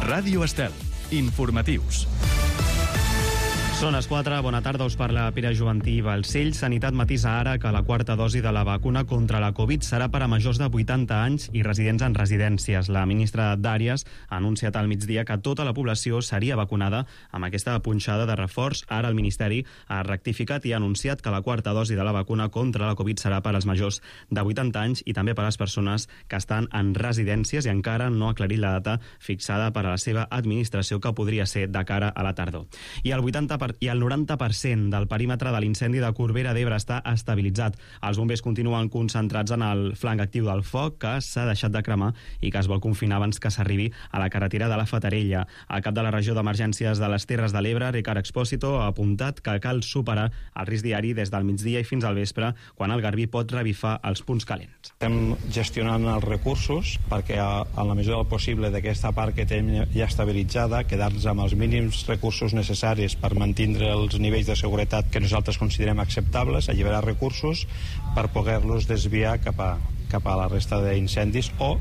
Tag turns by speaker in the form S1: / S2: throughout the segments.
S1: Ràdio Estel. Informatius.
S2: Són les 4, bona tarda, us parla Pere Juventí Balcells. Sanitat matisa ara que la quarta dosi de la vacuna contra la Covid serà per a majors de 80 anys i residents en residències. La ministra d'Àrees ha anunciat al migdia que tota la població seria vacunada amb aquesta punxada de reforç. Ara el Ministeri ha rectificat i ha anunciat que la quarta dosi de la vacuna contra la Covid serà per als majors de 80 anys i també per a les persones que estan en residències, i encara no ha aclarit la data fixada per a la seva administració, que podria ser de cara a la tardor. I el 90% del perímetre de l'incendi de Corbera d'Ebre està estabilitzat. Els bombers continuen concentrats en el flanc actiu del foc, que s'ha deixat de cremar i que es vol confinar abans que s'arribi a la carretera de la Fatarella. El cap de la regió d'emergències de les Terres de l'Ebre, Ricard Expósito, ha apuntat que cal superar el risc diari des del migdia i fins al vespre, quan el Garbí pot revifar els punts calents.
S3: Estem gestionant els recursos perquè, en la mesura del possible, d'aquesta part que tenim ja estabilitzada, quedar-nos amb els mínims recursos necessaris per mantenir els nivells de seguretat que nosaltres considerem acceptables, alliberar recursos per poder-los desviar cap a la resta d'incendis, o,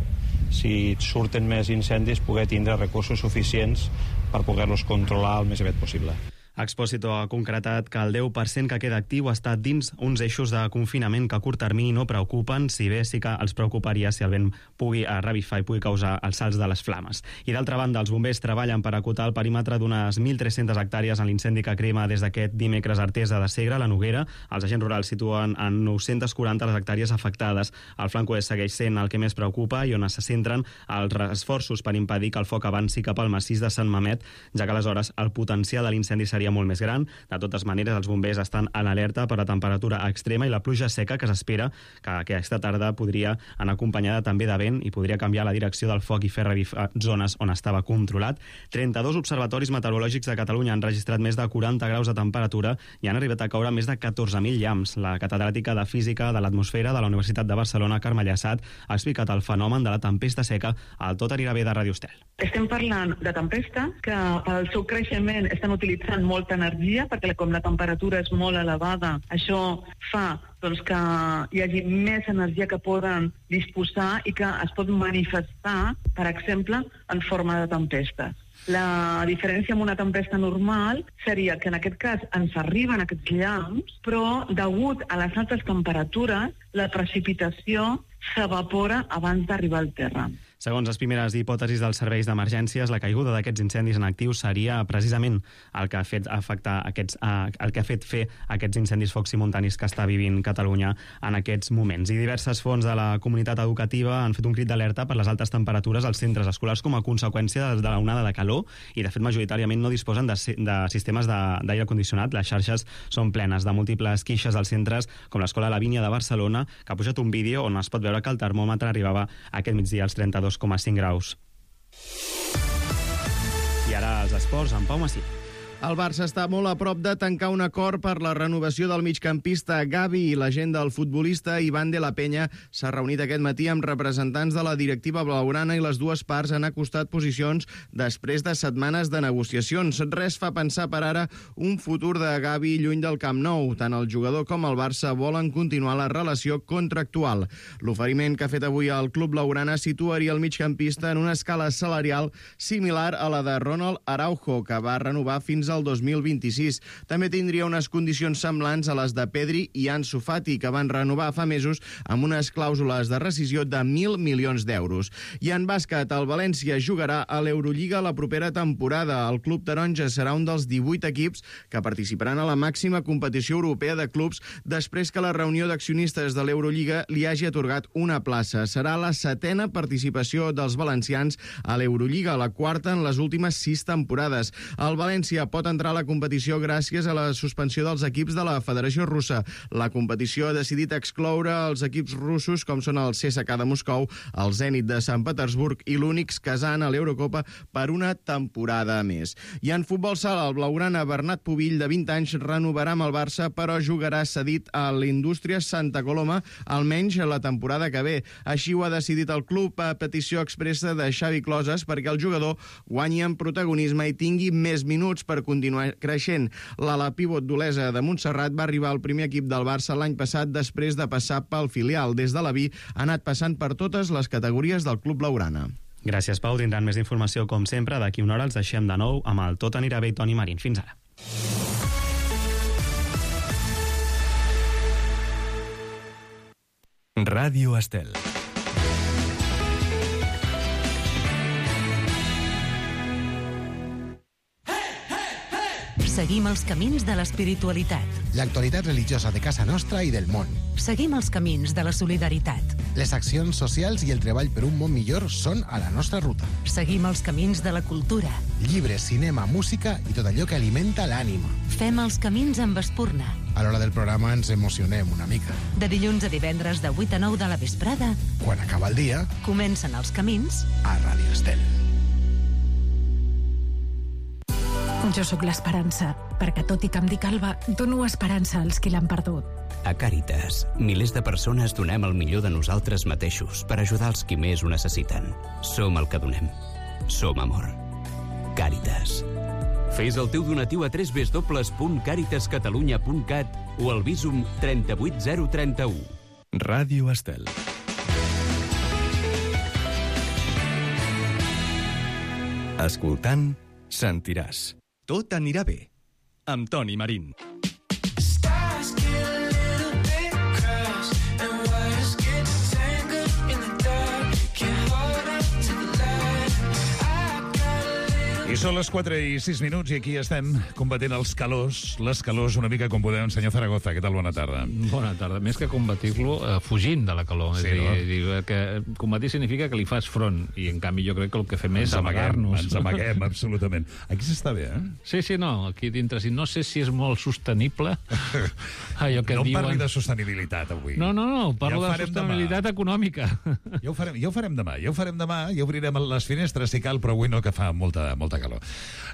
S3: si surten més incendis, poder tindre recursos suficients per poder-los controlar el més aviat possible.
S2: Expósito ha concretat que el 10% que queda actiu està dins uns eixos de confinament que a curt termini no preocupen, si bé sí que els preocuparia si el vent pugui revifar i pugui causar els salts de les flames. I d'altra banda, els bombers treballen per acotar el perímetre d'unes 1.300 hectàrees en l'incendi que crema des d'aquest dimecres a Artesa de Segre, la Noguera. Els agents rurals situen en 940 les hectàrees afectades. El flanc oest segueix sent el que més preocupa i on se centren els esforços per impedir que el foc avanci cap al massís de Sant Mamet, ja que aleshores el potencial de l'incendi seria molt més gran. De totes maneres, els bombers estan en alerta per la temperatura extrema i la pluja seca que s'espera que aquesta tarda podria anar acompanyada també de vent i podria canviar la direcció del foc i fer revifar zones on estava controlat. 32 observatoris meteorològics de Catalunya han registrat més de 40 graus de temperatura i han arribat a caure més de 14.000 llamps. La catedràtica de Física de l'Atmosfera de la Universitat de Barcelona, Carme Llassat, ha explicat el fenomen de la tempesta seca al Tot anirà bé de Ràdio Estel.
S4: Estem parlant de tempestes que pel seu creixement estan utilitzant molta energia, perquè com la temperatura és molt elevada, això fa que hi hagi més energia que poden disposar i que es pot manifestar, per exemple, en forma de tempestes. La diferència amb una tempesta normal seria que en aquest cas ens arriben aquests llamps, però degut a les altes temperatures, la precipitació s'evapora abans d'arribar al terra.
S2: Segons les primeres hipòtesis dels serveis d'emergències, la caiguda d'aquests incendis en actiu seria precisament el que ha fet fer aquests incendis focs simultanis que està vivint Catalunya en aquests moments. I diverses fonts de la comunitat educativa han fet un crit d'alerta per les altes temperatures als centres escolars com a conseqüència de l'onada de calor, i de fet majoritàriament no disposen de sistemes d'aire condicionat. Les xarxes són plenes de múltiples queixes als centres, com l'Escola Lavínia de Barcelona, que ha pujat un vídeo on es pot veure que el termòmetre arribava aquest migdia als 32,5 graus. I ara els esports, amb Pau Massí.
S5: El Barça està molt a prop de tancar un acord per la renovació del migcampista Gavi, i l'agent del futbolista Iván de la Peña s'ha reunit aquest matí amb representants de la directiva blaugrana i les dues parts han acostat posicions després de setmanes de negociacions. Res fa pensar per ara un futur de Gavi lluny del Camp Nou. Tant el jugador com el Barça volen continuar la relació contractual. L'oferiment que ha fet avui el club blaugrana situaria el migcampista en una escala salarial similar a la de Ronald Araujo, que va renovar fins al 2026. També tindria unes condicions semblants a les de Pedri i Ansu Fati, que van renovar fa mesos amb unes clàusules de rescisió de 1.000 milions d'euros. I en bàsquet, el València jugarà a l'Eurolliga la propera temporada. El club taronja serà un dels 18 equips que participaran a la màxima competició europea de clubs després que la reunió d'accionistes de l'Eurolliga li hagi atorgat una plaça. Serà la 7a participació dels valencians a l'Eurolliga, la 4a en les últimes 6 temporades. El València pot entrar a la competició gràcies a la suspensió dels equips de la Federació Russa. La competició ha decidit excloure els equips russos com són el CSKA de Moscou, el Zenit de Sant Petersburg i l'Unix Kazan a l'Eurocopa per una temporada més. I en futbol sala, el blaugrana Bernat Pubill, de 20 anys, renovarà amb el Barça, però jugarà cedit a l'Indústria Santa Coloma almenys la temporada que ve. Així ho ha decidit el club a petició expressa de Xavi Closes perquè el jugador guanyi en protagonisme i tingui més minuts per continuar creixent. L'ala pivot d'Olesa de Montserrat va arribar al primer equip del Barça l'any passat després de passar pel filial. Des de la B ha anat passant per totes les categories del club blaugrana.
S2: Gràcies, Pau. Tindran més informació, com sempre. D'aquí una hora els deixem de nou amb el Tot anirà bé i Toni Marín. Fins ara.
S1: Ràdio Estel.
S6: Seguim els camins de l'espiritualitat.
S7: L'actualitat religiosa de casa nostra i del món.
S6: Seguim els camins de la solidaritat.
S7: Les accions socials i el treball per un món millor són a la nostra ruta.
S6: Seguim els camins de la cultura.
S7: Llibres, cinema, música i tot allò que alimenta l'ànima.
S6: Fem els camins amb Espurna.
S7: A l'hora del programa ens emocionem una mica.
S6: De dilluns a divendres de 8 a 9 de la vesprada,
S7: Quan acaba el dia,
S6: comencen els camins
S7: a Ràdio Estel.
S8: Jo sóc l'esperança, perquè tot i que em dic Alba, dono esperança als qui l'han perdut.
S9: A Càritas, milers de persones donem el millor de nosaltres mateixos per ajudar els qui més ho necessiten. Som el que donem. Som amor. Càritas. Fes el teu donatiu a www.caritascatalunya.cat o al Bizum 38031.
S1: Ràdio Estel. Escoltant, sentiràs. Tot anirà bé. Amb Toni Marín.
S10: I són les 4:06 i aquí estem combatent els calors, les calors una mica com podem. Senyor Zaragoza, què tal? Bona tarda.
S11: Bona tarda. Més que combatir-lo, fugint de la calor.
S10: Sí,
S11: és
S10: no?
S11: a dir, que combatir significa que li fas front, i en canvi jo crec que el que fem és amagar-nos.
S10: Ens amaguem, absolutament. Aquí s'està bé, eh?
S11: Sí, no, aquí dintre. No sé si és molt sostenible. Allò que
S10: no
S11: diuen...
S10: parli de sostenibilitat avui.
S11: No, parlo de sostenibilitat econòmica.
S10: Ja ho farem demà, ja obrirem les finestres si cal, però avui no, que fa molta calor.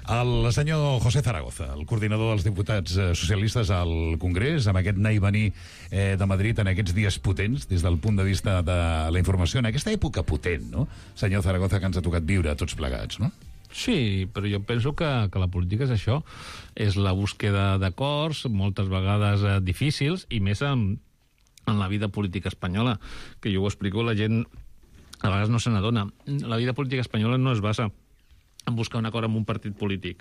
S10: El senyor José Zaragoza, el coordinador dels diputats socialistes al Congrés, amb aquest anar i venir de Madrid en aquests dies potents, des del punt de vista de la informació, en aquesta època potent, no? Senyor Zaragoza, que ens ha tocat viure tots plegats, no?
S11: Sí, però jo penso que la política és això, és la búsqueda d'acords, moltes vegades difícils, i més en la vida política espanyola, que jo ho explico, la gent a vegades no se n'adona. La vida política espanyola no es basa en buscar un acord amb un partit polític.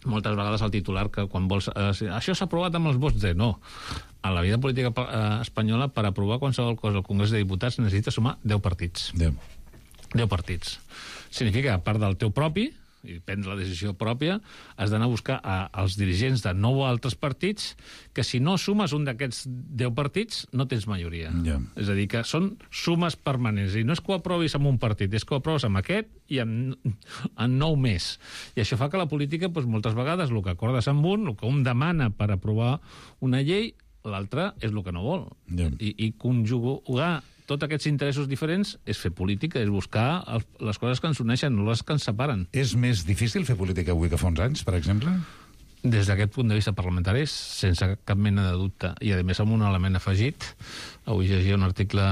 S11: Moltes vegades el titular, que quan vols... això s'ha aprovat amb els vots de... No. A la vida política espanyola, per aprovar qualsevol cosa al Congrés de Diputats, necessita sumar 10 partits. 10 partits. Significa, a part del teu propi, i prendre la decisió pròpia, has d'anar a buscar als dirigents de 9 altres partits que si no sumes un d'aquests 10 partits no tens majoria. És a dir, que són sumes permanents. I no és que ho aprovis amb un partit, és que ho aproves amb aquest i en 9 més. I això fa que la política, moltes vegades, el que acordes amb un, el que un demana per aprovar una llei, l'altre és el que no vol. I conjugar tots aquests interessos diferents és fer política, és buscar les coses que ens uneixen, no les que ens separen.
S10: És més difícil fer política avui que fa uns anys, per exemple?
S11: Des d'aquest punt de vista parlamentari, sense cap mena de dubte. I, a més, amb un element afegit, avui llegia un article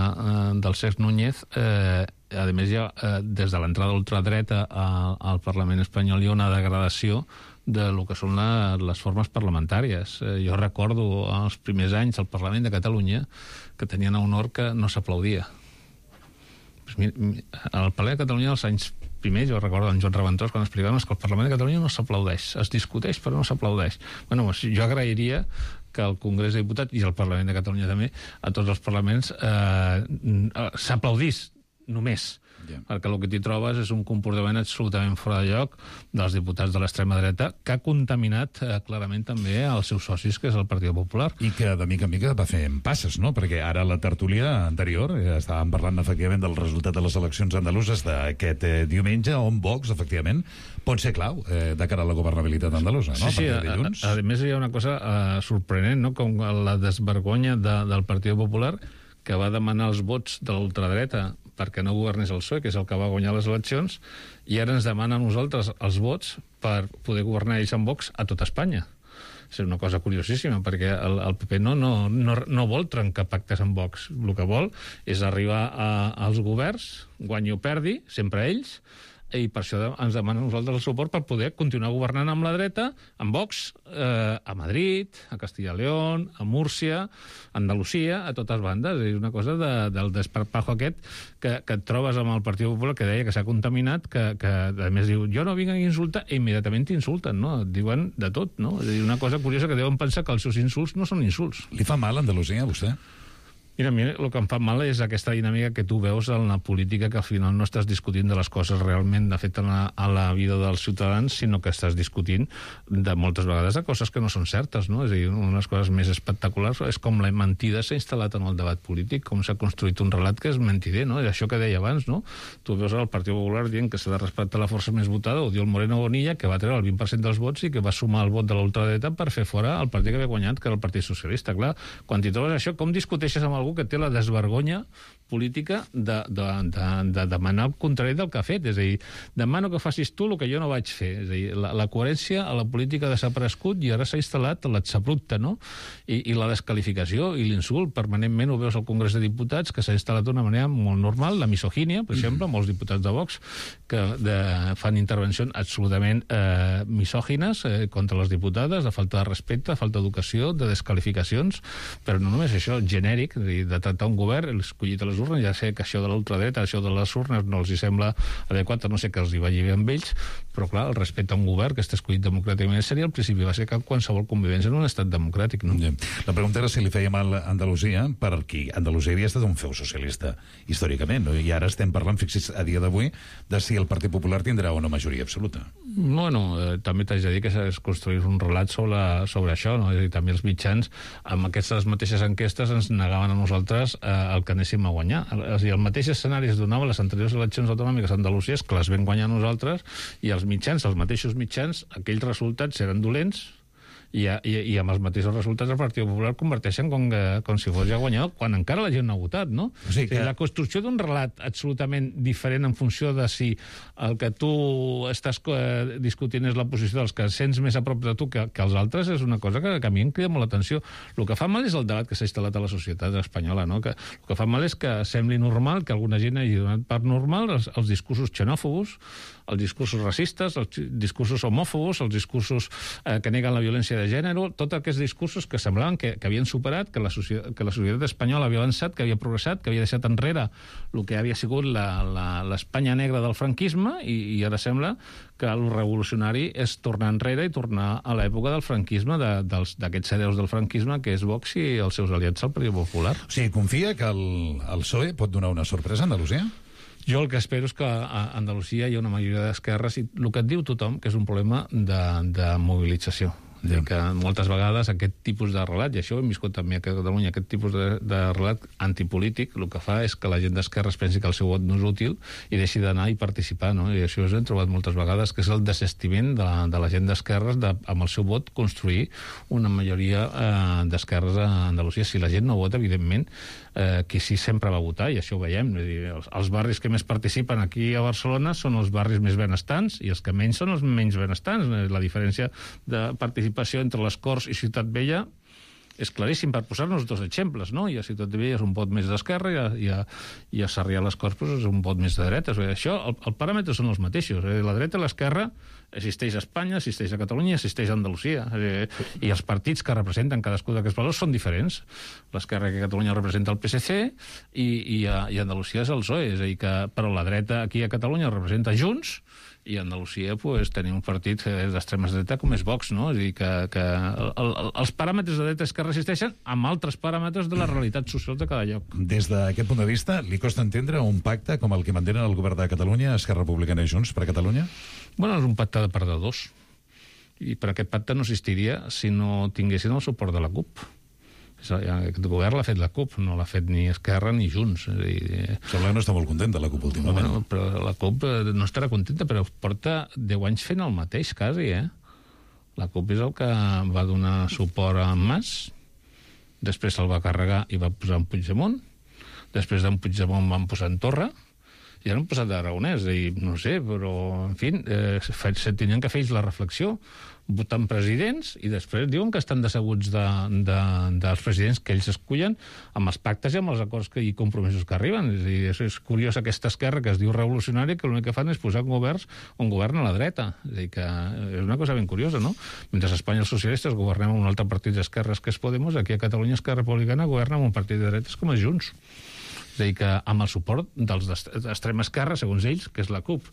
S11: del Cesc Núñez, a més, des de l'entrada ultradreta al Parlament espanyol hi ha una degradació de lo que són les formes parlamentàries. Jo recordo els primers anys al Parlament de Catalunya que tenien un honor que no s'aplaudia. Al Parlament de Catalunya, als anys primers, jo recordo en Joan Reventós, quan explicàvem que el Parlament de Catalunya no s'aplaudeix, es discuteix però no s'aplaudeix. Jo agrairia que el Congrés de Diputats i el Parlament de Catalunya també, a tots els parlaments, s'aplaudís només. Perquè el que t'hi trobes és un comportament absolutament fora de lloc dels diputats de l'extrema dreta que ha contaminat clarament també els seus socis, que és el Partit Popular.
S10: I que de mica en mica va fer passes, no? Perquè ara la tertúlia anterior estàvem parlant efectivament del resultat de les eleccions andaluses d'aquest diumenge, on Vox, efectivament, pot ser clau de cara a la governabilitat andalusa, no?
S11: Sí, a més hi ha una cosa sorprenent, no? Com la desvergonya del Partit Popular, que va demanar els vots de l'ultradreta perquè no governés el PSOE, que és el que va guanyar les eleccions, i ara ens demana a nosaltres els vots per poder governar ells amb Vox a tot Espanya. És una cosa curiosíssima, perquè el PP no vol trencar pactes amb Vox. El que vol és arribar als governs, guanyi o perdi, sempre ells, i per això ens demanen nosaltres el suport per poder continuar governant amb la dreta, amb Vox, a Madrid, a Castilla y León, a Múrcia, a Andalusia, a totes bandes. És una cosa del desparpajo aquest que et trobes amb el Partit Popular, que deia que s'ha contaminat, que a més diu, jo no vinc a insultar, i immediatament t'insulten, no? Et diuen de tot, no? És a dir, una cosa curiosa que deuen pensar que els seus insults no són insults.
S10: Li fa mal a Andalusia, a vostè?
S11: Mira, a mi el que em fa mal és aquesta dinàmica que tu veus en la política, que al final no estàs discutint de les coses realment d'afecten a la vida dels ciutadans, sinó que estàs discutint de moltes vegades de coses que no són certes, no? És a dir, una de les coses més espectaculars és com la mentida s'ha instal·lat en el debat polític, com s'ha construït un relat que és mentider, no? És això que deia abans, no? Tu veus el Partit Popular dient que s'ha de respectar la força més votada, o diu el Moreno Bonilla, que va treure el 20% dels vots i que va sumar el vot de l'ultradreta per fer fora el partit que havia guanyat, que era el Partit Socialista. Clar, quan t'hi trobes això, com discuteixes amb algú que té la desvergonya política de demanar el contrari del que ha fet? És a dir, demano que facis tu el que jo no vaig fer. És a dir, la coherència a la política ha desaparegut i ara s'ha instal·lat l'exabrupte, no? I la descalificació i l'insult. Permanentment ho veus al Congrés de Diputats, que s'ha instal·lat d'una manera molt normal, la misogínia, per exemple, molts diputats de Vox que fan intervencions absolutament misògines contra les diputades, de falta de respecte, de falta d'educació, de desqualificacions, però no només això, genèric, és a dir, de tractar un govern escollit a les urnes. Ja sé que això de l'ultradreta, això de les urnes no els hi sembla adequat, no sé que els hi vagi bé amb ells, però clar, el respecte a un govern que està escollit democràticament seria el principi bàsic de qualsevol convivència en un estat democràtic, no?
S10: La pregunta era si li feia mal a Andalusia, perquè Andalusia havia estat un feu socialista històricament, no? I ara estem parlant, fixi's, a dia d'avui, de si el Partit Popular tindrà una majoria absoluta.
S11: Bueno, també t'haig de dir que es construís un relat sobre això, no? És a dir, també els mitjans, amb aquestes mateixes enquestes, ens negaven a nosaltres el que anéssim a guanyar. És a dir, el mateix escenari es donava a les anteriors eleccions autonòmiques andalusies, que les vam guanyar nosaltres, i els mitjans, els mateixos mitjans, aquells resultats eren dolents, i amb els mateixos resultats el Partit Popular converteixen com si fos ja guanyador, quan encara la gent no ha votat, no? O sigui que la construcció d'un relat absolutament diferent en funció de si el que tu estàs discutint és la posició dels que sents més a prop de tu que els altres, és una cosa que a mi em crida molt l'atenció. El que fa mal és el debat que s'ha instal·lat a la societat espanyola, no? El que fa mal és que sembli normal, que alguna gent hagi donat per normal els discursos xenòfobos, els discursos racistes, els discursos homòfobos, els discursos que neguen la violència de gènere, tots aquests discursos que semblaven que havien superat, que la societat espanyola havia avançat, que havia progressat, que havia deixat enrere el que havia sigut l'Espanya negra del franquisme, i ara sembla que el revolucionari és tornar enrere i tornar a l'època del franquisme, d'aquests hereus del franquisme, que és Vox i els seus aliats al Partit Popular.
S10: O sigui, confia que el PSOE pot donar una sorpresa a Andalusia?
S11: Jo el que espero és que a Andalusia hi ha una majoria d'esquerres i el que et diu tothom, que és un problema de mobilització. És dir, que moltes vegades aquest tipus de relat, i això ho hem viscut també a Catalunya, aquest tipus de relat antipolític, el que fa és que la gent d'esquerres pensi que el seu vot no és útil i deixi d'anar i participar, no? I això ho hem trobat moltes vegades, que és el desestiment de la gent d'esquerres amb el seu vot construir una majoria d'esquerres a Andalusia. Si la gent no vota, evidentment, qui sí sempre va votar, i això ho veiem. És dir, els barris que més participen aquí a Barcelona són els barris més benestants i els que menys són els menys benestants. La diferència de participació entre les Corts i Ciutat Vella és claríssim, per posar-nos dos exemples, no? I a Ciutat Vella és un vot més d'esquerra i a Sarrià les Corts és un vot més de dreta. Això, el paràmetre són els mateixos. La dreta i l'esquerra existeix a Espanya, existeix a Catalunya, existeix a Andalusia. I els partits que representen cadascú d'aquests valors són diferents. L'esquerra que a Catalunya representa el PSC i a Andalusia és el PSOE. És a dir, però la dreta aquí a Catalunya representa Junts, i a Andalusia tenim un partit d'extrema dreta com és Vox, no? És a dir, que els paràmetres de dreta i esquerra existeixen amb altres paràmetres de la realitat social de cada lloc.
S10: Des d'aquest punt de vista, li costa entendre un pacte com el que mantenen el govern de Catalunya, Esquerra Republicana i Junts per Catalunya?
S11: Bueno, és un pacte de perdedors. I per aquest pacte no existiria si no tinguessin el suport de la CUP. Aquest govern l'ha fet la CUP, no l'ha fet ni Esquerra ni Junts.
S10: Sembla que no està molt contenta la CUP últimament.
S11: Bueno, però la CUP no estarà contenta, però porta 10 anys fent el mateix, quasi, La CUP és el que va donar suport a Mas, després se'l va carregar i va posar en Puigdemont, després d'en Puigdemont van posar en Torra, ja no han posat d'aragonès, no sé, però, en fi, se tenien que fer ells la reflexió, votant presidents, i després diuen que estan decebuts dels presidents que ells escullen amb els pactes i amb els acords i compromisos que arriben. És a dir, és curiós aquesta esquerra que es diu revolucionària, que l'únic que fan és posar governs on governa la dreta. És a dir, que és una cosa ben curiosa, no? Mentre a Espanya els socialistes governem amb un altre partit d'esquerres que és Podemos, aquí a Catalunya Esquerra Republicana governa amb un partit de dretes com és Junts. És a dir, que amb el suport dels d'extrema esquerra, segons ells, que és la CUP.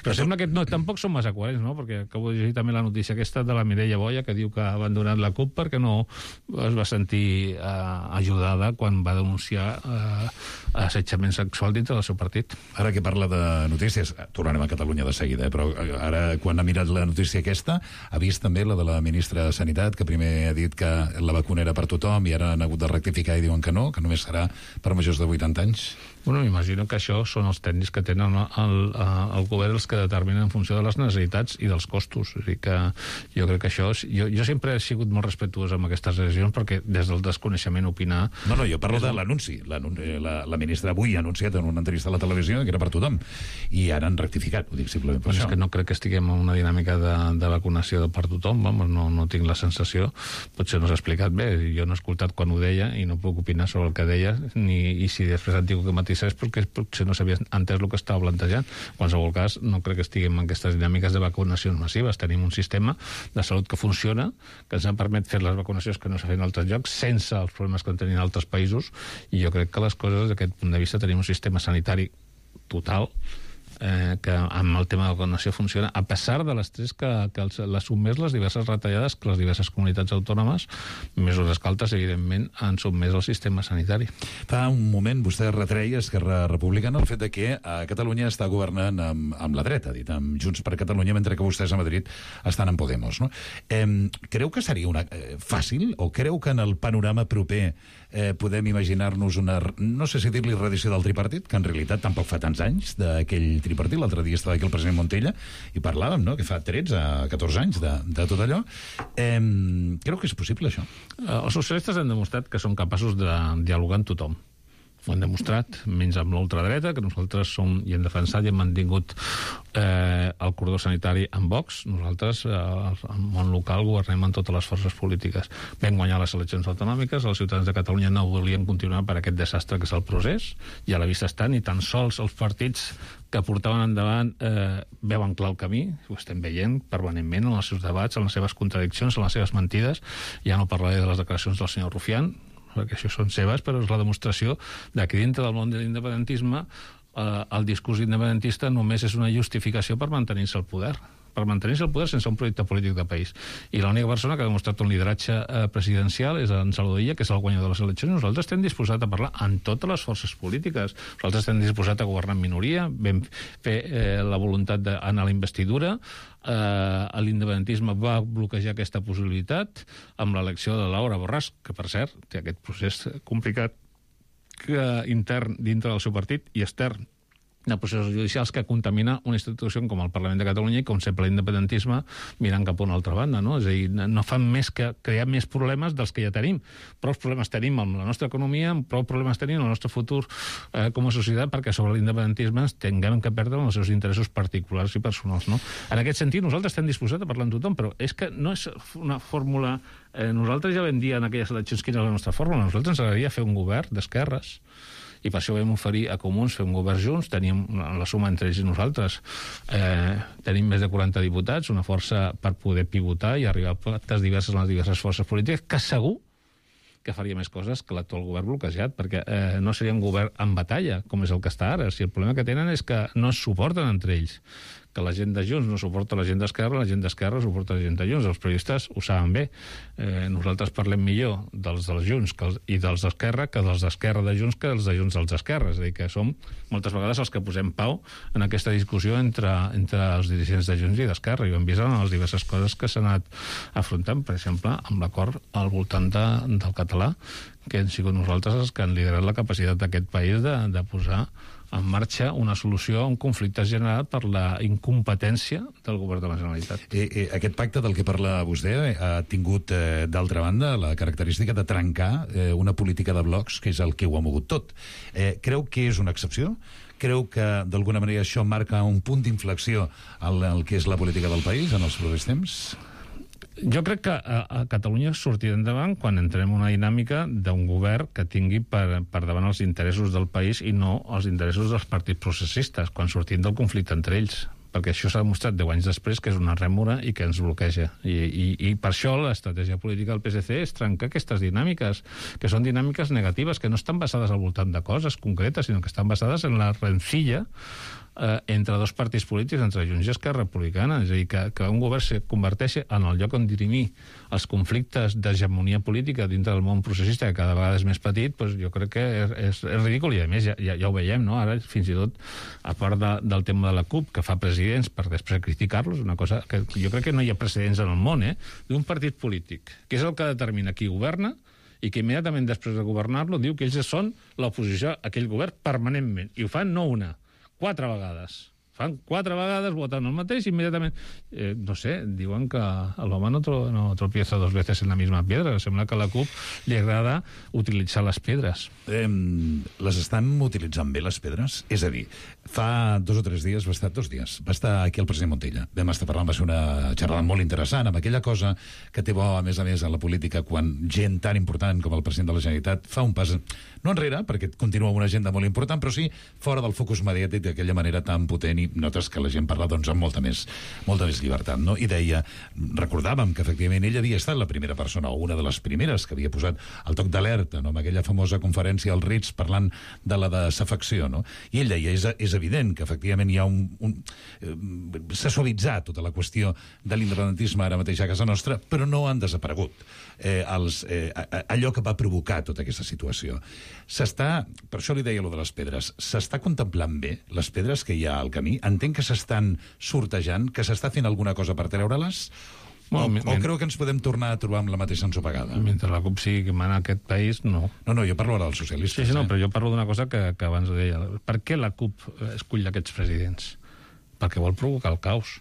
S11: Però sembla que tampoc són massa coherents, no? Perquè acabo de llegir també la notícia aquesta de la Mireia Boya, que diu que ha abandonat la CUP perquè no es va sentir ajudada quan va denunciar assetjament sexual dintre del seu partit.
S10: Ara que parla de notícies, tornarem a Catalunya de seguida, però ara, quan ha mirat la notícia aquesta, ha vist també la de la ministra de Sanitat, que primer ha dit que la vacuna era per tothom i ara han hagut de rectificar i diuen que només serà per majors de 80 anys.
S11: Bueno, m'imagino que això són els tècnics que tenen el govern els que determinen en funció de les necessitats i dels costos. És a dir, que jo crec que això... Jo sempre he sigut molt respectuós amb aquestes decisions perquè des del desconeixement opinar...
S10: No, jo parlo de l'anunci. La ministra avui ha anunciat en una entrevista a la televisió que era per tothom. I ara han rectificat, ho dic simplement per això.
S11: És que no crec que estiguem en una dinàmica de vacunació per tothom, no tinc la sensació. Potser no s'ha explicat bé. Jo no he escoltat quan ho deia i no puc opinar sobre el que deia, i si després han tingut que matisar és perquè potser no s'havia entès el que estava plantejant. En qualsevol cas, no crec que estiguem en aquestes dinàmiques de vacunacions massives. Tenim un sistema de salut que funciona, que ens ha permet fer les vacunacions que no s'ha fet en altres llocs, sense els problemes que en tenien altres països, i jo crec que les coses, des d'aquest punt de vista, tenim un sistema sanitari total que amb el tema de la vacunació funciona, a pesar de l'estrès que les sotmès les diverses retallades que les diverses comunitats autònomes, mesures que altres, evidentment, han sotmès al sistema sanitari.
S10: Fa un moment vostè retreia Esquerra Republicana el fet de que a Catalunya està governant amb la dreta, dit, amb Junts per Catalunya, mentre que vostès a Madrid estan en Podemos, no? Creu que seria fàcil, o creu que en el panorama proper podem imaginar-nos una, no sé si dir-li reedició del tripartit, que en realitat tampoc fa tants anys d'aquell tripartit. L'altre dia estava aquí el president Montella i parlàvem, no?, que fa 13-14 anys de tot allò. Creu que és possible, això?
S11: Els socialistes han demostrat que són capaços de dialogar amb tothom. Ho han demostrat, menys amb l'ultradreta, que nosaltres som i hem defensat i hem mantingut el cordó sanitari amb Vox. Nosaltres, al món local, governem en totes les forces polítiques. Vam guanyar les eleccions autonòmiques, els ciutadans de Catalunya no volien continuar per aquest desastre que és el procés, i a la vista estan, i tan sols els partits que portaven endavant veuen clar el camí, ho estem veient permanentment en els seus debats, en les seves contradiccions, en les seves mentides. Ja no parlaré de les declaracions del senyor Rufián, perquè això són seves, però és la demostració de que dintre del món de l'independentisme el discurs independentista només és una justificació per mantenir-se al poder. Per mantenir-se al poder sense un projecte polític de país. I l'única persona que ha demostrat un lideratge presidencial és en Salvador Illa, que és el guanyador de les eleccions. Nosaltres estem disposats a parlar amb totes les forces polítiques. Nosaltres estem disposats a governar en minoria, vam fer la voluntat d'anar a la investidura, l'independentisme va bloquejar aquesta possibilitat amb l'elecció de Laura Borràs, que per cert té aquest procés complicat intern dintre del seu partit i extern de processos judicials que contamina una institució com el Parlament de Catalunya i com sempre l'independentisme mirant cap a una altra banda, no? És a dir, no fan més que crear més problemes dels que ja tenim. Prou problemes tenim amb la nostra economia, prou problemes tenim en el nostre futur com a societat, perquè sobre l'independentisme ens tinguem que perdre els seus interessos particulars i personals, no? En aquest sentit, nosaltres estem disposats a parlar amb tothom, però és que no és una fórmula... Nosaltres ja vam dir en aquelles eleccions quina és la nostra fórmula. A nosaltres ens agradaria fer un govern d'esquerres, i per això vam oferir a Comuns fer un govern junts. Teníem la suma entre ells i nosaltres. Tenim més de 40 diputats, una força per poder pivotar i arribar a pactes diverses en les diverses forces polítiques, que segur que faria més coses que l'actual govern bloquejat, perquè no seria un govern en batalla, com és el que està ara. Si el problema que tenen és que no es suporten entre ells, que la gent de Junts no suporta la gent d'Esquerra, la gent d'Esquerra suporta la gent de Junts. Els periodistes ho saben bé. Nosaltres parlem millor dels Junts i dels d'Esquerra que dels d'Esquerra de Junts que dels de Junts dels d'Esquerra. És a dir, que som moltes vegades els que posem pau en aquesta discussió entre els dirigents de Junts i d'Esquerra, i ho hem vist en les diverses coses que s'han anat afrontant, per exemple, amb l'acord al voltant del català, que hem sigut nosaltres els que han liderat la capacitat d'aquest país de posar en marxa una solució a un conflicte generat per la incompetència del govern de la Generalitat.
S10: Aquest pacte del que parla vostè ha tingut, d'altra banda, la característica de trencar una política de blocs, que és el que ho ha mogut tot. Creu que és una excepció? Creu que, d'alguna manera, això marca un punt d'inflexió en el que és la política del país en els propers temps?
S11: Jo crec que a Catalunya sortirà endavant quan entrem en una dinàmica d'un govern que tingui per davant els interessos del país i no els interessos dels partits processistes, quan sortim del conflicte entre ells. Perquè això s'ha demostrat 10 anys després que és una rèmora i que ens bloqueja. I per això l'estratègia política del PSC és trencar aquestes dinàmiques, que són dinàmiques negatives, que no estan basades al voltant de coses concretes, sinó que estan basades en la rencilla entre dos partits polítics, entre Junts i Esquerra Republicana. És a dir, que un govern se converteixi en el lloc on dirimir els conflictes d'hegemonia política dintre del món processista, que cada vegada és més petit, doncs jo crec que és ridícul, i a més ja ho veiem, no? Ara fins i tot, a part del tema de la CUP, que fa presidents per després criticar-los, una cosa que jo crec que no hi ha precedents en el món, d'un partit polític, que és el que determina qui governa, i que immediatament després de governar-lo diu que ells són l'oposició a aquell govern permanentment, i ho fan no una, 4 vegades. Fan 4 vegades, voten el mateix, i immediatament, no sé, diuen que l'home no tropieza 2 veces en la misma piedra. Sembla que a la CUP li agrada utilitzar les pedres.
S10: Les estan utilitzant bé, les pedres? És a dir, fa 2 o 3 dies, va estar 2 dies, va estar aquí el president Montilla. Vam estar parlant, va ser una xerrada molt interessant, amb aquella cosa que té bo, a més, en la política, quan gent tan important com el president de la Generalitat fa un pas, no enrere, perquè continua una agenda molt important, però sí fora del focus mediàtic d'aquella manera tan potent, i notes que la gent parla doncs amb molta més llibertat, no? I deia, recordàvem que efectivament ell havia estat la primera persona, o una de les primeres, que havia posat el toc d'alerta, no? Amb aquella famosa conferència al Ritz parlant de la desafecció, no? I ell deia, és evident que efectivament hi ha s'ha suavitzat tota la qüestió de l'independentisme ara mateix a casa nostra, però no han desaparegut allò que va provocar tota aquesta situació. Per això li deia allò de les pedres, s'està contemplant bé les pedres que hi ha al camí? Entenc que s'estan sortejant, que s'està fent alguna cosa per treure-les? O creu que ens podem tornar a trobar amb la mateixa ensopegada?
S11: Mentre la CUP sigui que mana aquest país, no.
S10: No, jo parlo ara dels socialistes.
S11: Sí, no, però jo parlo d'una cosa que abans deia. Per què la CUP escull aquests presidents? Perquè vol provocar el caos.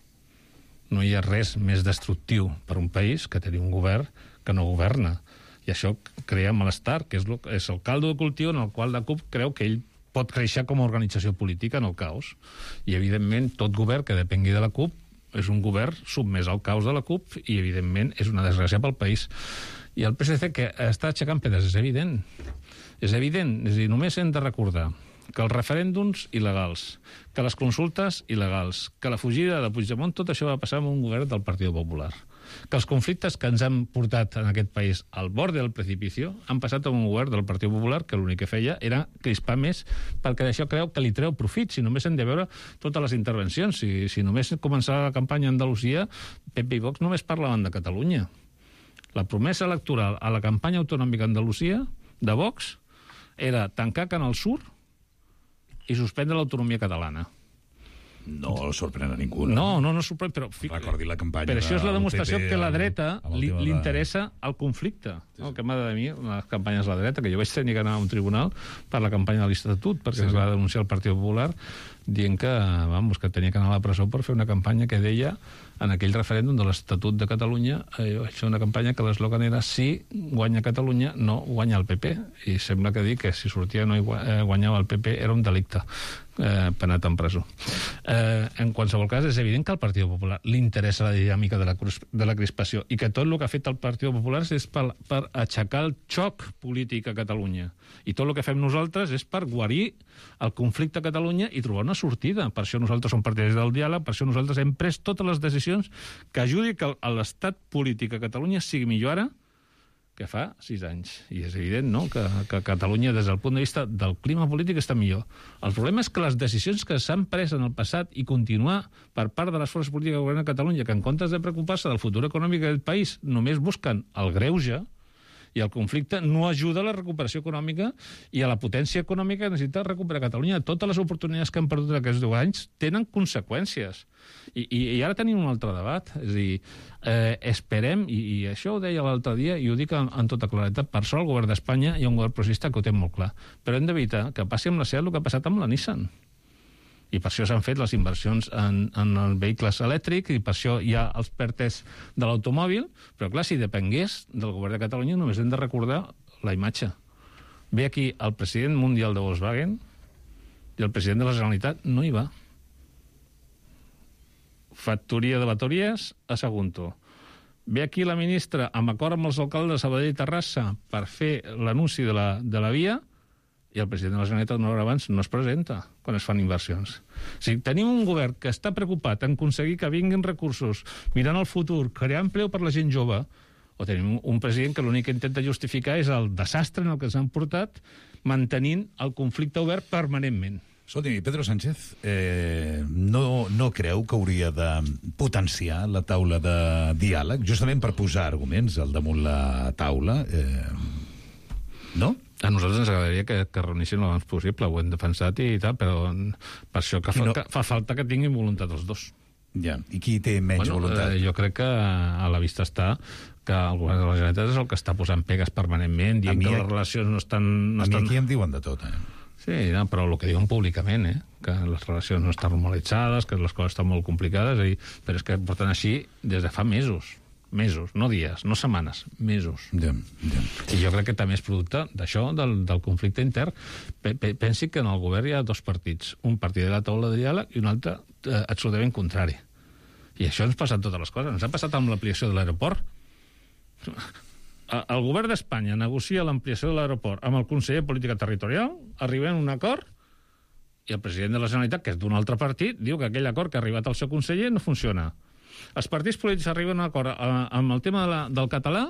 S11: No hi ha res més destructiu per un país que tenir un govern que no governa. I això crea malestar, que és el caldo de cultiu en el qual la CUP creu que ell pot créixer com a organització política en el caos. I, evidentment, tot govern que depengui de la CUP és un govern submès al caos de la CUP i, evidentment, és una desgràcia pel país. I el PSC, que està aixecant pedres, és evident. És evident. És a dir, només hem de recordar que els referèndums il·legals, que les consultes il·legals, que la fugida de Puigdemont, tot això va passar amb un govern del Partit Popular. Que els conflictes que ens han portat en aquest país al borde del precipicio han passat amb un govern del Partit Popular que l'únic que feia era crispar més, perquè d'això creu que li treu profit. Si només hem de veure totes les intervencions, si només començava la campanya a Andalusia, PP i Vox només parlaven de Catalunya. La promesa electoral a la campanya autonòmica a Andalusia de Vox era tancar Canal Sur i suspendre l'autonomia catalana.
S10: No sorprèn a ningú.
S11: No sorprèn, però...
S10: Recordi la campanya.
S11: Però això és la demostració que a la dreta li interessa el conflicte. El que m'ha de dir les campanyes de la dreta, que jo vaig tenir que anar a un tribunal per la campanya de l'Estatut, perquè es va denunciar el Partit Popular dient que tenia que anar a la presó per fer una campanya que deia, en aquell referèndum de l'Estatut de Catalunya, això una campanya que l'eslògan era si guanya Catalunya, no guanya el PP. I sembla que dir que si sortia no guanyava el PP era un delicte penat en presó. En qualsevol cas, és evident que al Partit Popular li interessa la dinàmica de la crispació i que tot el que ha fet el Partit Popular és per aixecar el xoc polític a Catalunya. I tot el que fem nosaltres és per guarir el conflicte a Catalunya i trobar una sortida. Per això nosaltres som partidaris del diàleg, per això nosaltres hem pres totes les decisions que ajudi que l'estat polític a Catalunya sigui millor ara que fa 6 anys. I és evident, no?, que Catalunya, des del punt de vista del clima polític, està millor. El problema és que les decisions que s'han pres en el passat i continuar per part de les forces polítiques que governen a Catalunya, que en comptes de preocupar-se del futur econòmic del país només busquen el greuge, I el conflicte no ajuda a la recuperació econòmica i a la potència econòmica que necessita recuperar Catalunya. Totes les oportunitats que han perdut aquests 10 anys tenen conseqüències. I ara tenim un altre debat. És a dir, esperem, i això ho deia l'altre dia, i ho dic en tota claretat, per sort el govern d'Espanya hi ha un govern progressista que ho té molt clar. Però hem d'evitar que passi amb la SEAT el que ha passat amb la Nissan. I per això s'han fet les inversions en vehicles elèctrics, i per això hi ha els PERTEs de l'automòbil, però clar, si depengués del govern de Catalunya només hem de recordar la imatge. Ve aquí el president mundial de Volkswagen i el president de la Generalitat no hi va. Factoria de bateries a Sagunto. Ve aquí la ministra amb acord amb els alcaldes de Sabadell i Terrassa per fer l'anunci de la via, i el president de la Generalitat una hora abans no es presenta quan es fan inversions. O sigui, tenim un govern que està preocupat en aconseguir que vinguin recursos, mirant el futur, crear empleo per la gent jove, o tenim un president que l'únic que intenta justificar és el desastre en el que s'han portat, mantenint el conflicte obert permanentment.
S10: Escolti, Pedro Sánchez no creu que hauria de potenciar la taula de diàleg justament per posar arguments al damunt la taula? No?
S11: A nosaltres ens agradaria que reunissin l'abans possible, ho hem defensat i tal, però per això que fa falta que tinguin voluntat els dos.
S10: Ja, i qui té menys voluntat?
S11: Jo crec que a la vista està que el govern de la Generalitat és el que està posant pegues permanentment, dient que les relacions no estan...
S10: A mi aquí em diuen de tot,
S11: Sí, però el que diuen públicament, que les relacions no estan normalitzades, que les coses estan molt complicades, però és que porten així des de fa mesos, no dies, no setmanes, mesos. I jo crec que també és producte d'això, del conflicte intern. Pensi que en el govern hi ha dos partits, un partit de la taula de diàleg i un altre absolutament contrari. I això ens passa en totes les coses. Ens ha passat amb l'ampliació de l'aeroport. El govern d'Espanya negocia l'ampliació de l'aeroport amb el conseller de Política Territorial, arribem a un acord, i el president de la Generalitat, que és d'un altre partit, diu que aquell acord que ha arribat al seu conseller no funciona. Els partits polítics arriben a un acord amb el tema del català,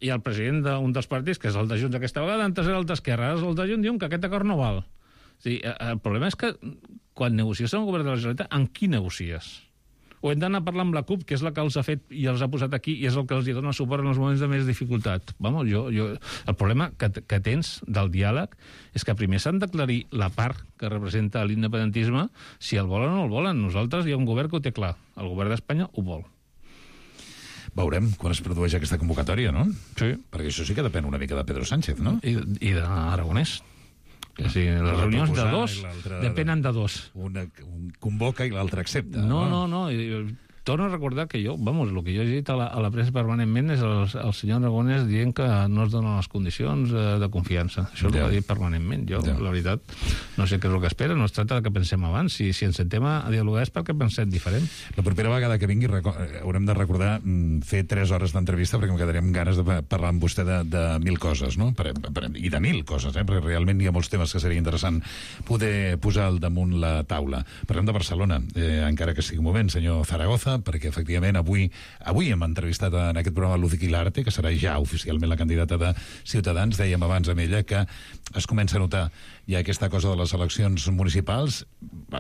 S11: i el president d'un dels partits, que és el de Junts aquesta vegada, antes era el d'Esquerra, ara el de Junts, diuen que aquest acord no val. O sigui, el problema és que quan negocies amb el govern de la Generalitat, amb qui negocies? O hem d'anar a parlar amb la CUP, que és la que els ha fet i els ha posat aquí, i és el que els dona suport en els moments de més dificultat. El problema que tens del diàleg és que primer s'han d'aclarir la part que representa l'independentisme, si el volen o no el volen. Nosaltres hi ha un govern que ho té clar. El govern d'Espanya ho vol.
S10: Veurem quan es produeix aquesta convocatòria, no?
S11: Sí.
S10: Perquè això sí que depèn una mica de Pedro Sánchez, no?
S11: I d'Aragonès. Sí, les reunions de dos depenen de dos.
S10: Un convoca i l'altre accepta.
S11: No. Torno a recordar que el que jo he dit a la premsa permanentment és el senyor Aragonès dient que no es donen les condicions de confiança. Això és el que ha dit permanentment. La veritat, no sé què és el que espera, no es tracta que pensem abans. Si ens sentem a dialogar és perquè pensem diferent.
S10: La propera vegada que vingui haurem de recordar fer 3 hores d'entrevista perquè em quedarem ganes de parlar amb vostè de 1.000 coses, no? I de 1.000 coses, perquè realment hi ha molts temes que seria interessant poder posar al damunt la taula. Parlem de Barcelona, encara que sigui un moment, senyor Zaragoza, perquè efectivament avui hem entrevistat en aquest programa Luz Quilarte, que serà ja oficialment la candidata de Ciutadans. Dèiem abans amb ella que es comença a notar ja aquesta cosa de les eleccions municipals.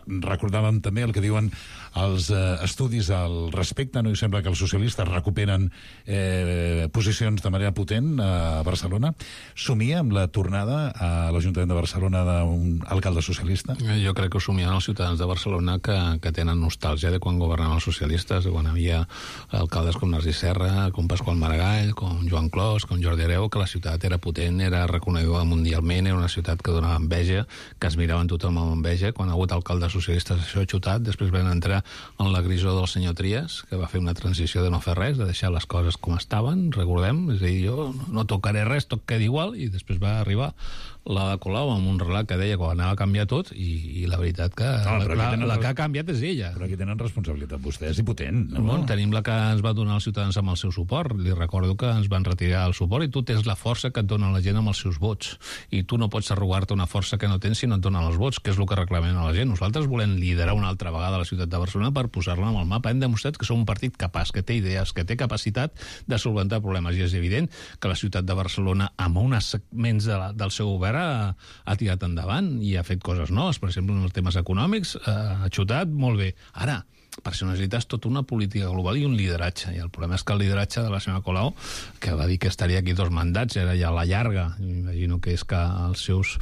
S10: Recordàvem també el que diuen els estudis al respecte, no? I sembla que els socialistes recuperen posicions de manera potent a Barcelona. Somia amb la tornada a l'Ajuntament de Barcelona d'un alcalde socialista?
S11: Jo crec que ho somien els ciutadans de Barcelona que tenen nostàlgia de quan governaven els socialistes, de quan havia alcaldes com Narcís Serra, com Pasqual Maragall, com Joan Clos, com Jordi Hereu, que la ciutat era potent, era reconeguda mundialment, era una ciutat que donava enveja, que es miraven tothom amb enveja. Quan ha hagut alcaldes socialistes això ha xutat, després van entrar en la grisó del senyor Trias, que va fer una transició de no fer res, de deixar les coses com estaven, recordem, és a dir, jo no tocaré res, tot queda igual, i després va arribar la de Colau amb un relat que deia que anava a canviar tot, i la veritat que la que ha canviat és ella.
S10: Però aquí tenen responsabilitat vostès i potent.
S11: Bueno, tenim la que ens va donar els ciutadans amb el seu suport. Li recordo que ens van retirar el suport, i tu tens la força que et dona la gent amb els seus vots, i tu no pots arrogar-te una força que no tens si no et donen els vots, que és el que reclamem a la gent. Nosaltres volem liderar una altra vegada la ciutat de Barcelona per posar-la en el mapa. Hem demostrat que som un partit capaç, que té idees, que té capacitat de solventar problemes, i és evident que la ciutat de Barcelona, amb uns segments del seu govern, govern ha tirat endavant i ha fet coses noves, per exemple, en els temes econòmics, ha xutat molt bé. Ara, per això necessites tota una política global i un lideratge. I el problema és que el lideratge de la senyora Colau, que va dir que estaria aquí 2 mandats, era ja a la llarga. Imagino que és que els seus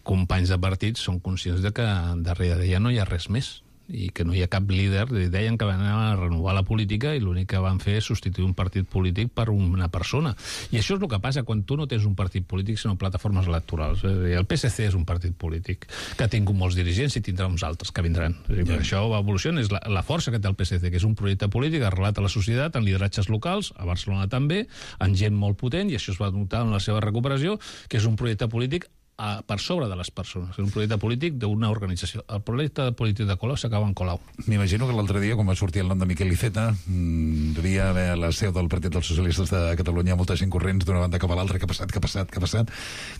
S11: companys de partit són conscients de que darrere d'ella no hi ha res més i que no hi ha cap líder. Deien que van anar a renovar la política i l'únic que van fer és substituir un partit polític per una persona. I això és el que passa quan tu no tens un partit polític sinó plataformes electorals. El PSC és un partit polític que ha tingut molts dirigents i tindrà uns altres que vindran. Per això evoluciona, és la força que té el PSC, que és un projecte polític arrelat a la societat, en lideratges locals, a Barcelona també, en gent molt potent, i això es va notar en la seva recuperació, que és un projecte polític per sobre de les persones. És un projecte polític d'una organització. El projecte polític de Colau s'acaba en Colau.
S10: M'imagino que l'altre dia, quan va sortir el nom de Miquel Iceta, devia haver a la seu del Partit dels Socialistes de Catalunya molta gent corrents d'una banda cap a l'altra. Què ha passat?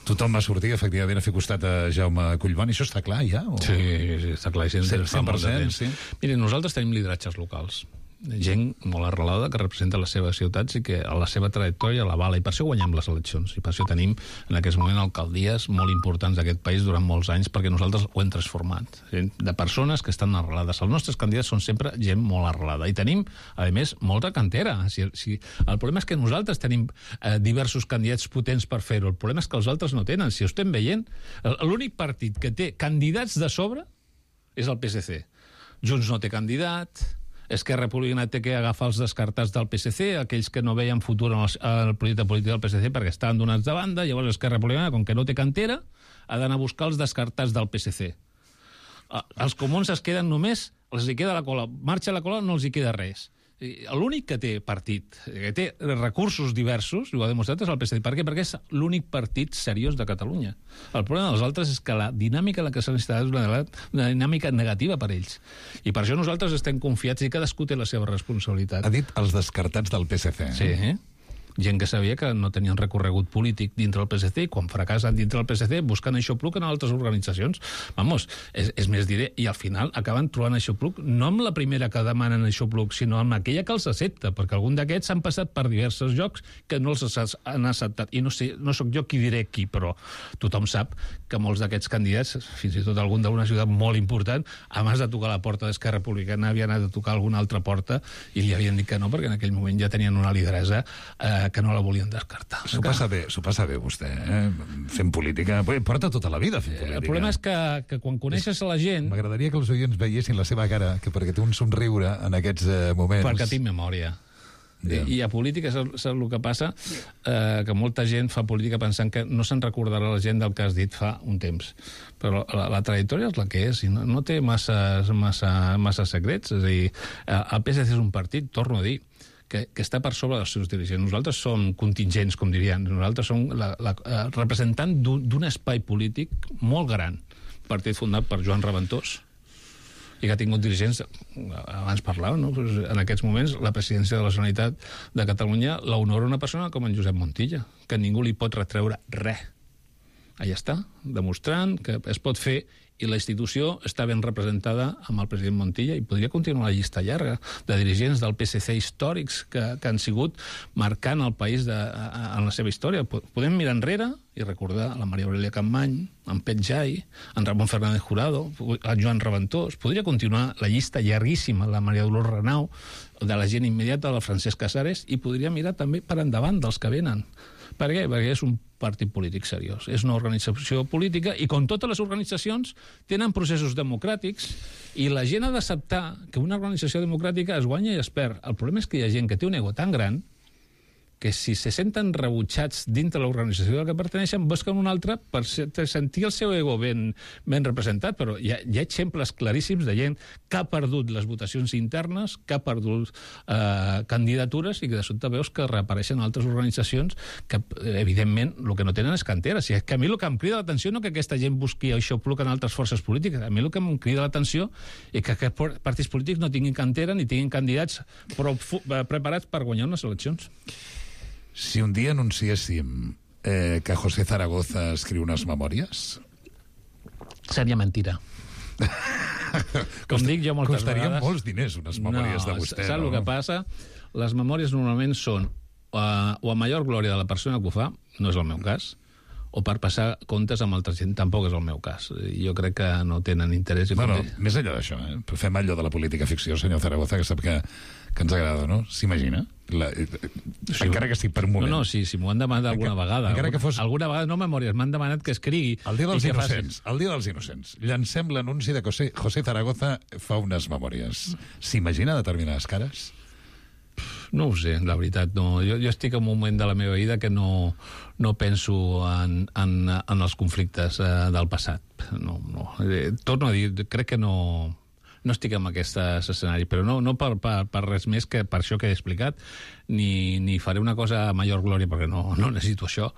S10: Tothom va sortir, efectivament, a fer costat a Jaume Collboni. Això està clar, ja? O...
S11: Sí, està clar.
S10: 100%, sí.
S11: Miri, nosaltres tenim lideratges locals. Gent molt arrelada que representa les seves ciutats i que a la seva trajectòria l'avala, i per això guanyem les eleccions, i per això tenim en aquest moment alcaldies molt importants d'aquest país durant molts anys, perquè nosaltres ho hem transformat, de persones que estan arrelades. Els nostres candidats són sempre gent molt arrelada, i tenim, a més, molta cantera. El problema és que nosaltres tenim diversos candidats potents per fer-ho, el problema és que els altres no tenen. Si ho estem veient, l'únic partit que té candidats de sobre és el PSC. Junts no té candidat, Esquerra Republicana té que agafar els descartats del PSC, aquells que no veien futur en el projecte polític del PSC perquè estaven donats de banda. Llavors Esquerra Republicana, com que no té cantera, ha d'anar a buscar els descartats del PSC. Els comuns es queden només, els hi queda la cola. Marxa la cola, no els hi queda res. L'únic que té partit, que té recursos diversos, ho ha demostrat, és el PSD. Per què? Perquè és l'únic partit seriós de Catalunya. El problema dels altres és que la dinàmica en la que s'han instal·lat és una dinàmica negativa per ells. I per això nosaltres estem confiats i cadascú té la seva responsabilitat.
S10: Ha dit els descartats del PSC.
S11: Sí, gent que sabia que no tenien recorregut polític dintre del PSC i quan fracassen dintre del PSC busquen aixopluc en altres organitzacions. Vamos, és més diré, i al final acaben trobant aixopluc no amb la primera que demanen aixopluc, sinó amb aquella que els accepta, perquè algun d'aquests han passat per diversos llocs que no els han acceptat. I no sé, no sóc jo qui diré qui, però tothom sap que molts d'aquests candidats, fins i tot algun d'una ciutat molt important, abans de tocar la porta d'Esquerra Republicana havien anat a tocar alguna altra porta i li havien dit que no, perquè en aquell moment ja tenien una lideresa que no la volien descartar.
S10: S'ho passa bé, vostè, fent política. Porta tota la vida fent política.
S11: El problema és que quan coneixes a la gent...
S10: M'agradaria que els oients veiessin la seva cara, perquè té un somriure en aquests moments.
S11: Perquè tinc memòria. I a política saps el que passa? Que molta gent fa política pensant que no se'n recordarà la gent del que has dit fa un temps. Però la trajectòria és la que és, i no té massa secrets. És a dir, el PSC és un partit, torno a dir, que està per sobre dels seus dirigents. Nosaltres som contingents, com dirien. Nosaltres som representant d'un espai polític molt gran. Partit fundat per Joan Reventós, i que ha tingut dirigents, abans parlàvem, no? En aquests moments la presidència de la Generalitat de Catalunya l'honora una persona com en Josep Montilla, que ningú li pot retreure res. Allà està, demostrant que es pot fer, i la institució està ben representada amb el president Montilla, i podria continuar la llista llarga de dirigents del PSC històrics que han sigut marcant el país en la seva història. Podem mirar enrere i recordar la Maria Aurelia Capmany, en Pet Jai, en Ramon Fernández Jurado, en Joan Reventós. Podria continuar la llista llarguíssima, la Maria Dolors Renau, de la gent immediata, del Francesc Casares, i podria mirar també per endavant dels que venen. Per què? Perquè és un partit polític seriós. És una organització política i, com totes les organitzacions, tenen processos democràtics i la gent ha d'acceptar que una organització democràtica es guanya i es perd. El problema és que hi ha gent que té un ego tan gran que si se senten rebutjats dintre l'organització a la que perteneixen, busquen una altra per sentir el seu ego ben representat. Però hi ha exemples claríssims de gent que ha perdut les votacions internes, que ha perdut candidatures, i que de sobte veus que reapareixen altres organitzacions que, evidentment, el que no tenen és cantera. Si és que a mi el que em crida l'atenció no que aquesta gent busqui aixopluc en altres forces polítiques. A mi el que em crida l'atenció és que aquests partits polítics no tinguin cantera ni tinguin candidats prou preparats per guanyar unes eleccions.
S10: Si un dia anunciéssim que José Zaragoza escriu unes memòries...
S11: Seria mentira. Com dic jo moltes
S10: Costarien
S11: vegades...
S10: molts diners unes memòries de vostè,
S11: saps
S10: no?
S11: El que passa? Les memòries normalment són o a major glòria de la persona que ho fa, no és el meu cas, o per passar comptes amb altra gent. Tampoc és el meu cas. Jo crec que no tenen interès.
S10: Bueno, més enllà d'això, fem allò de la política ficció, senyor Zaragoza, que sap que ens agrada, no? S'imagina? Encara que estic per un moment.
S11: No, sí, m'ho han demanat alguna vegada. Alguna vegada, no memòries, m'han demanat que escrigui.
S10: El dia dels innocents. Llancem l'anunci de que José Zaragoza fa unes memòries. S'imagina determinades cares?
S11: No ho sé, la veritat, no. Jo estic en un moment de la meva vida que no penso en els conflictes del passat. No. Torno a dir, crec que no estic en aquest escenari, però no per res més que per això que he explicat, ni faré una cosa a major glòria, perquè no necessito això,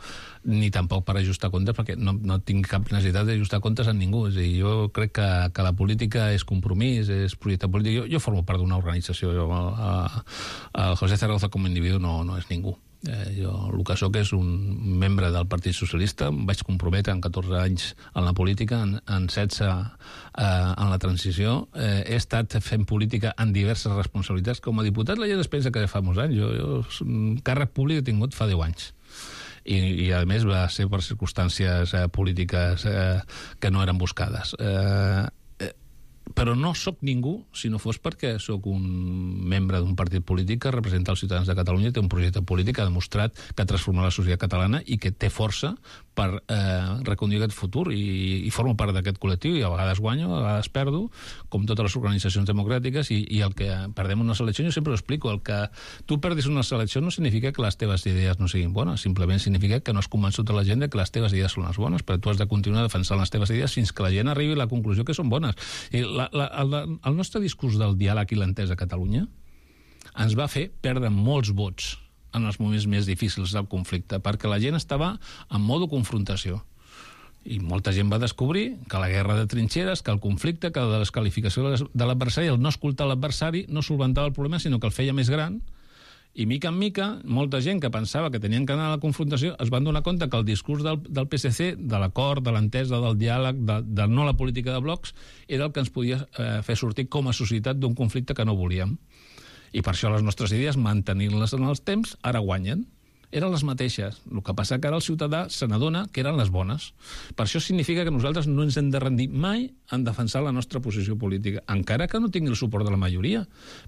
S11: ni tampoc per ajustar comptes, perquè no tinc cap necessitat d'ajustar comptes amb ningú. És a dir, jo crec que la política és compromís, és projecte polític. Jo formo part d'una organització. El José Zaragoza com a individu no és ningú. Jo el que soc és un membre del Partit Socialista, em vaig comprometre en 14 anys en la política, en 16 en la transició. He estat fent política en diverses responsabilitats. Com a diputat la gent es pensa que fa molts anys. Jo càrrec públic he tingut fa 10 anys. I a més va ser per circumstàncies polítiques que no eren buscades. Però no sóc ningú si no fos perquè sóc un membre d'un partit polític que representa els ciutadans de Catalunya, té un projecte polític que ha demostrat que ha transformat la societat catalana i que té força per reconduir aquest futur, i formo part d'aquest col·lectiu, i a vegades guanyo, a vegades perdo, com totes les organitzacions democràtiques, i el que perdem unes eleccions, jo sempre ho explico, el que tu perdis unes eleccions no significa que les teves idees no siguin bones, simplement significa que no has convençut a la gent que les teves idees són les bones, però tu has de continuar defensant les teves idees fins que la gent arribi a la conclusió que són bones. I el nostre discurs del diàleg i l'entesa a Catalunya ens va fer perdre molts vots en els moments més difícils del conflicte, perquè la gent estava en modo confrontació. I molta gent va descobrir que la guerra de trinxeres, que el conflicte, que la desqualificació de l'adversari, el no escoltar l'adversari, no solventava el problema, sinó que el feia més gran. I mica en mica, molta gent que pensava que tenien que anar a la confrontació es van donar compte que el discurs del PSC, de l'acord, de l'entesa, del diàleg, de no la política de blocs, era el que ens podia fer sortir com a societat d'un conflicte que no volíem. I per això les nostres idees, mantenir-les en els temps, ara guanyen. Eren les mateixes. El que passa que ara el ciutadà se n'adona que eren les bones. Per això significa que nosaltres no ens hem de rendir mai en defensar la nostra posició política, encara que no tingui el suport de la majoria,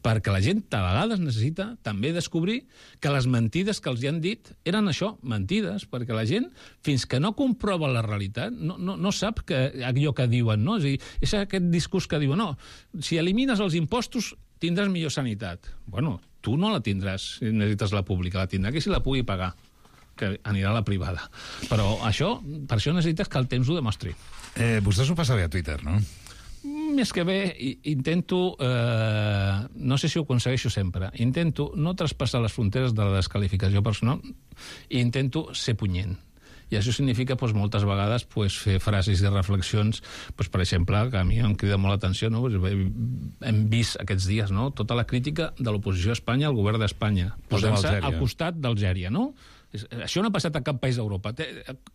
S11: perquè la gent a vegades necessita també descobrir que les mentides que els hi han dit eren això, mentides, perquè la gent, fins que no comprova la realitat, no sap que allò que diuen, no? És aquest discurs que diuen, no, si elimines els impostos tindràs millor sanitat. Bueno, tu no la tindràs si necessites la pública, la tindrà que si la pugui pagar, que anirà a la privada. Però per això necessites que el temps ho demostri.
S10: Vostè s'ho passa bé a Twitter, no?
S11: Més que bé, intento, no sé si ho aconsegueixo sempre, intento no traspassar les fronteres de la desqualificació personal i intento ser punyent. I això significa moltes vegades fer frases i reflexions, per exemple, que a mi em crida molt l'atenció, no? Hem vist aquests dies tota la crítica de l'oposició a Espanya al govern d'Espanya, posant-se al costat d'Algèria, no? Això no ha passat a cap país d'Europa.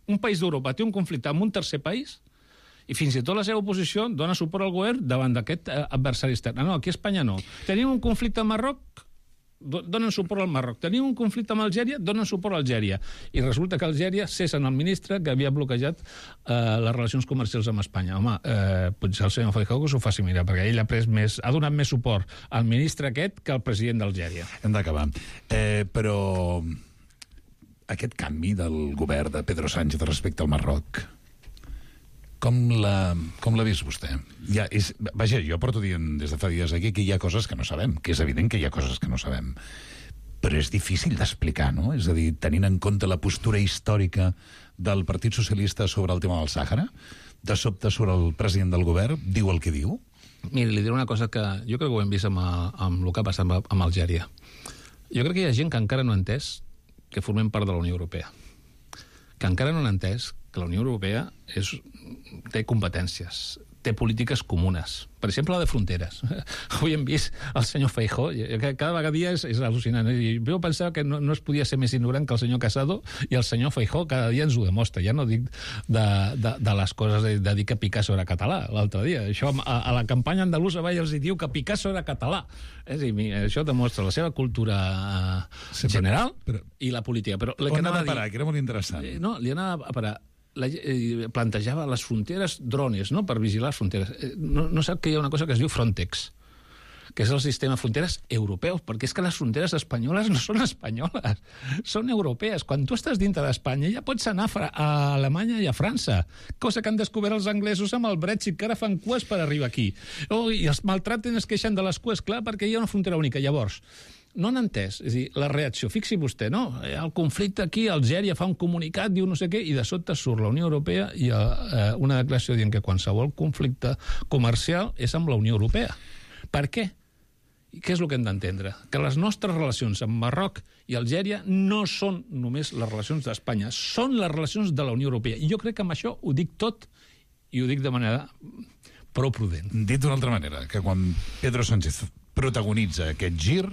S11: Un país d'Europa té un conflicte amb un tercer país i fins i tot la seva oposició dona suport al govern davant d'aquest adversari extern. No, aquí a Espanya no. Tenim un conflicte amb Marroc, donen suport al Marroc. Tenim un conflicte amb Algèria, donen suport a Algèria. I resulta que Algèria cessen el ministre que havia bloquejat les relacions comercials amb Espanya. Home, potser el senyor Feijóo que s'ho faci mirar, perquè ell ha donat més suport al ministre aquest que al president d'Algèria.
S10: Hem d'acabar. Però aquest canvi del govern de Pedro Sánchez respecte al Marroc, com l'ha vist vostè? Vaja, jo porto dient des de fa dies aquí que hi ha coses que no sabem, que és evident que hi ha coses que no sabem, però és difícil d'explicar, no? És a dir, tenint en compte la postura històrica del Partit Socialista sobre el tema del Sàhara, de sobte sobre el president del govern, diu el que diu?
S11: Mira, li diré una cosa que jo crec que ho hem vist amb el que ha passat amb Algèria. Jo crec que hi ha gent que encara no ha entès que formem part de la Unió Europea, que encara no han entès que la Unió Europea té competències, té polítiques comunes. Per exemple, la de fronteres. Avui hem vist el senyor Feijóo, cada vegada és al·lucinant. Jo pensava que no es podia ser més ignorant que el senyor Casado, i el senyor Feijóo cada dia ens ho demostra. Ja no dic de les coses de dir que Picasso era català l'altre dia. Això a la campanya andalusa els diu que Picasso era català. És a dir, això demostra la seva cultura general i la política. Però
S10: on anava a parar, que era molt interessant.
S11: No, li anava a parar. plantejava les fronteres drones, no?, per vigilar les fronteres. No sap que hi ha una cosa que es diu Frontex, que és el sistema de fronteres europeus, perquè és que les fronteres espanyoles no són espanyoles, són europees. Quan tu estàs dintre d'Espanya ja pots anar a Alemanya i a França, cosa que han descobert els anglesos amb el Brexit, que ara fan cues per arribar aquí. I els maltraten, es queixen de les cues, clar, perquè hi ha una frontera única. Llavors, no han entès, és a dir, la reacció, fixi vostè, no? El conflicte aquí, Algèria fa un comunicat, diu no sé què, i de sobte surt la Unió Europea i una declaració dient que qualsevol conflicte comercial és amb la Unió Europea. Per què? I què és el que hem d'entendre? Que les nostres relacions amb Marroc i Algèria no són només les relacions d'Espanya, són les relacions de la Unió Europea. I jo crec que amb això ho dic tot i ho dic de manera prou prudent.
S10: Dit d'una altra manera, que quan Pedro Sánchez protagonitza aquest gir,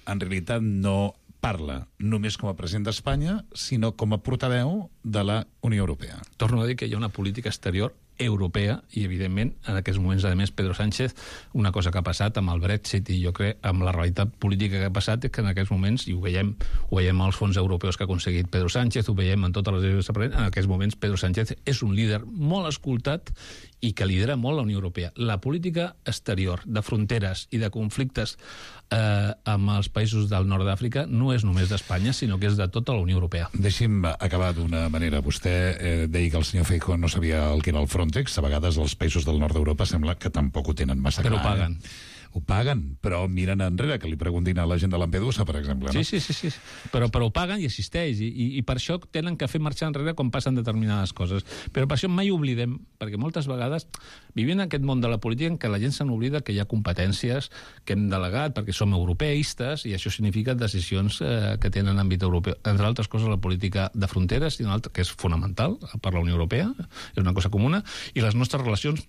S10: en realitat no parla només com a president d'Espanya, sinó com a portaveu de la Unió Europea.
S11: Torno a dir que hi ha una política exterior europea i, evidentment, en aquests moments, a més, Pedro Sánchez, una cosa que ha passat amb el Brexit i jo crec amb la realitat política que ha passat és que en aquests moments, i ho veiem als fons europeus que ha aconseguit Pedro Sánchez, ho veiem en totes les decisions, en aquests moments Pedro Sánchez és un líder molt escoltat i que lidera molt la Unió Europea. La política exterior de fronteres i de conflictes amb els països del nord d'Àfrica no és només d'Espanya, sinó que és de tota la Unió Europea.
S10: Deixi'm acabar d'una manera. Vostè deia que el senyor Feijóo no sabia el que era el Frontex. A vegades els països del nord d'Europa sembla que tampoc ho tenen massa clar.
S11: Però ho paguen.
S10: Ho paguen, però miren enrere, que li preguntin a la gent de Lampedusa, per exemple. No?
S11: Sí. Però ho paguen i existeix, i per això tenen que fer marxar enrere quan passen determinades coses. Però per això mai oblidem, perquè moltes vegades vivim en aquest món de la política en què la gent se n'oblida que hi ha competències que hem delegat perquè som europeistes, i això significa decisions que tenen àmbit europeu. Entre altres coses, la política de fronteres, que és fonamental per la Unió Europea, és una cosa comuna, i les nostres relacions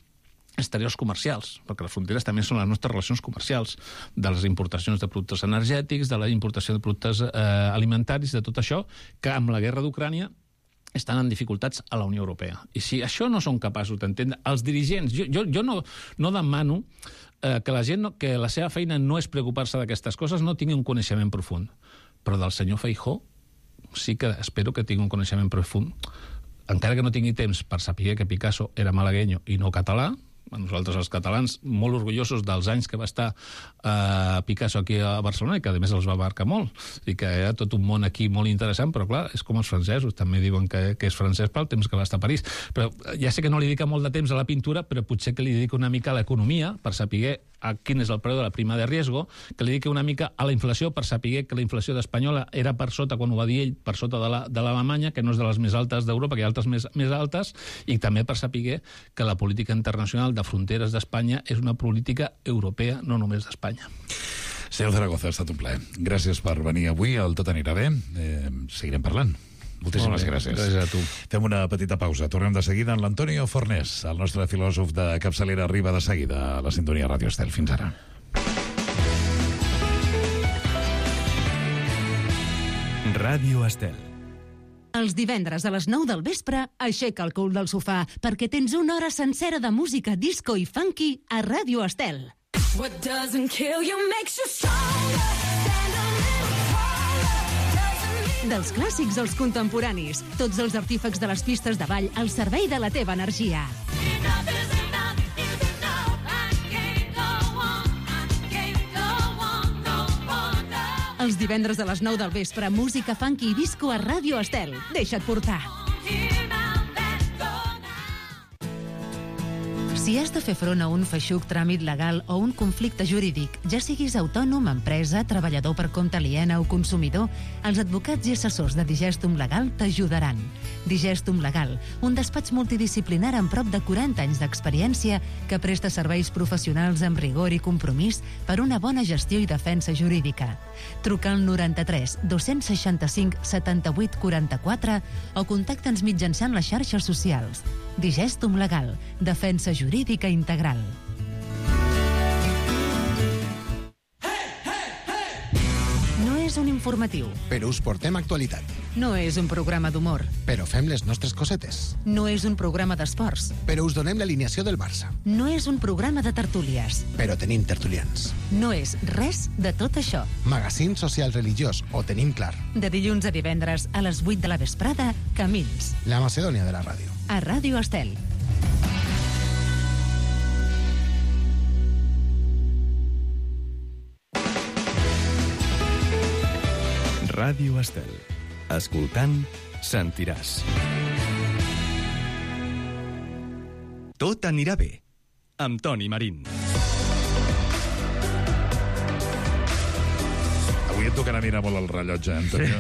S11: exteriors comercials, perquè les fronteres també són les nostres relacions comercials, de les importacions de productes energètics, de la importació de productes alimentaris, de tot això, que amb la guerra d'Ucrània estan en dificultats a la Unió Europea. I si això no són capaços d'entendre, els dirigents, jo no demano que la gent, que la seva feina no és preocupar-se d'aquestes coses, no tingui un coneixement profund. Però del senyor Feijóo sí que espero que tingui un coneixement profund, encara que no tingui temps per saber que Picasso era malagueño i no català. Nosaltres, els catalans, molt orgullosos dels anys que va estar Picasso aquí a Barcelona, i que a més els va marcar molt, i que hi ha tot un món aquí molt interessant, però clar, és com els francesos, també diuen que és francès pel temps que va estar a París. Però ja sé que no li dedica molt de temps a la pintura, però potser que li dedica una mica a l'economia, per saber quin és el preu de la prima de riesgo, que li dediqui una mica a la inflació, per saber que la inflació espanyola era per sota, quan ho va dir ell, per sota de l'Alemanya, que no és de les més altes d'Europa, que hi ha altres més altes, i també per saber que la política internacional de fronteres d'Espanya és una política europea, no només d'Espanya.
S10: Senyor Zaragoza, ha estat un plaer. Gràcies per venir avui al Tot anirà bé. Seguirem parlant. Moltíssimes gràcies.
S11: Gràcies a tu.
S10: Fem una petita pausa. Tornem de seguida amb l'Antonio Fornés, el nostre filòsof de capçalera, arriba de seguida a la sintonia Ràdio Estel. Fins ara.
S1: Ràdio Estel.
S6: Els divendres a les 9 del vespre, aixeca el cul del sofà, perquè tens una hora sencera de música disco i funky a Ràdio Estel.
S12: What doesn't kill you makes you stronger. Stand a little taller.
S6: Dels clàssics als contemporanis, tots els artífecs de les pistes de ball al servei de la teva energia. Els divendres a les 9 del vespre, música funky i disco a Ràdio Estel. Deixa't portar. Si has de fer front a un feixuc tràmit legal o un conflicte jurídic, ja siguis autònom, empresa, treballador per compte aliena o consumidor, els advocats i assessors de Digestum Legal t'ajudaran. Digestum Legal, un despatx multidisciplinar amb prop de 40 anys d'experiència que presta serveis professionals amb rigor i compromís per una bona gestió i defensa jurídica. Truca al 93 265 78 44 o contacta'ns mitjançant les xarxes socials. Digestum Legal, defensa jurídica integral. No és un informatiu.
S7: Però us portem actualitat.
S6: No és un programa d'humor.
S7: Però fem les nostres cosetes.
S6: No és un programa d'esports.
S7: Però us donem l'alineació del Barça.
S6: No és un programa de tertúlies.
S7: Però tenim tertulians.
S6: No és res de tot això.
S7: Magazín social religiós, ho tenim clar.
S6: De dilluns a divendres a les 8 de la vesprada, Camins.
S7: La Macedònia de la ràdio.
S6: a Ràdio Estel.
S1: Ràdio Estel. Escoltant, sentiràs. Tot anirà bé, amb Toni Marín.
S10: Avui et tocarà mirar molt el rellotge, Antonio.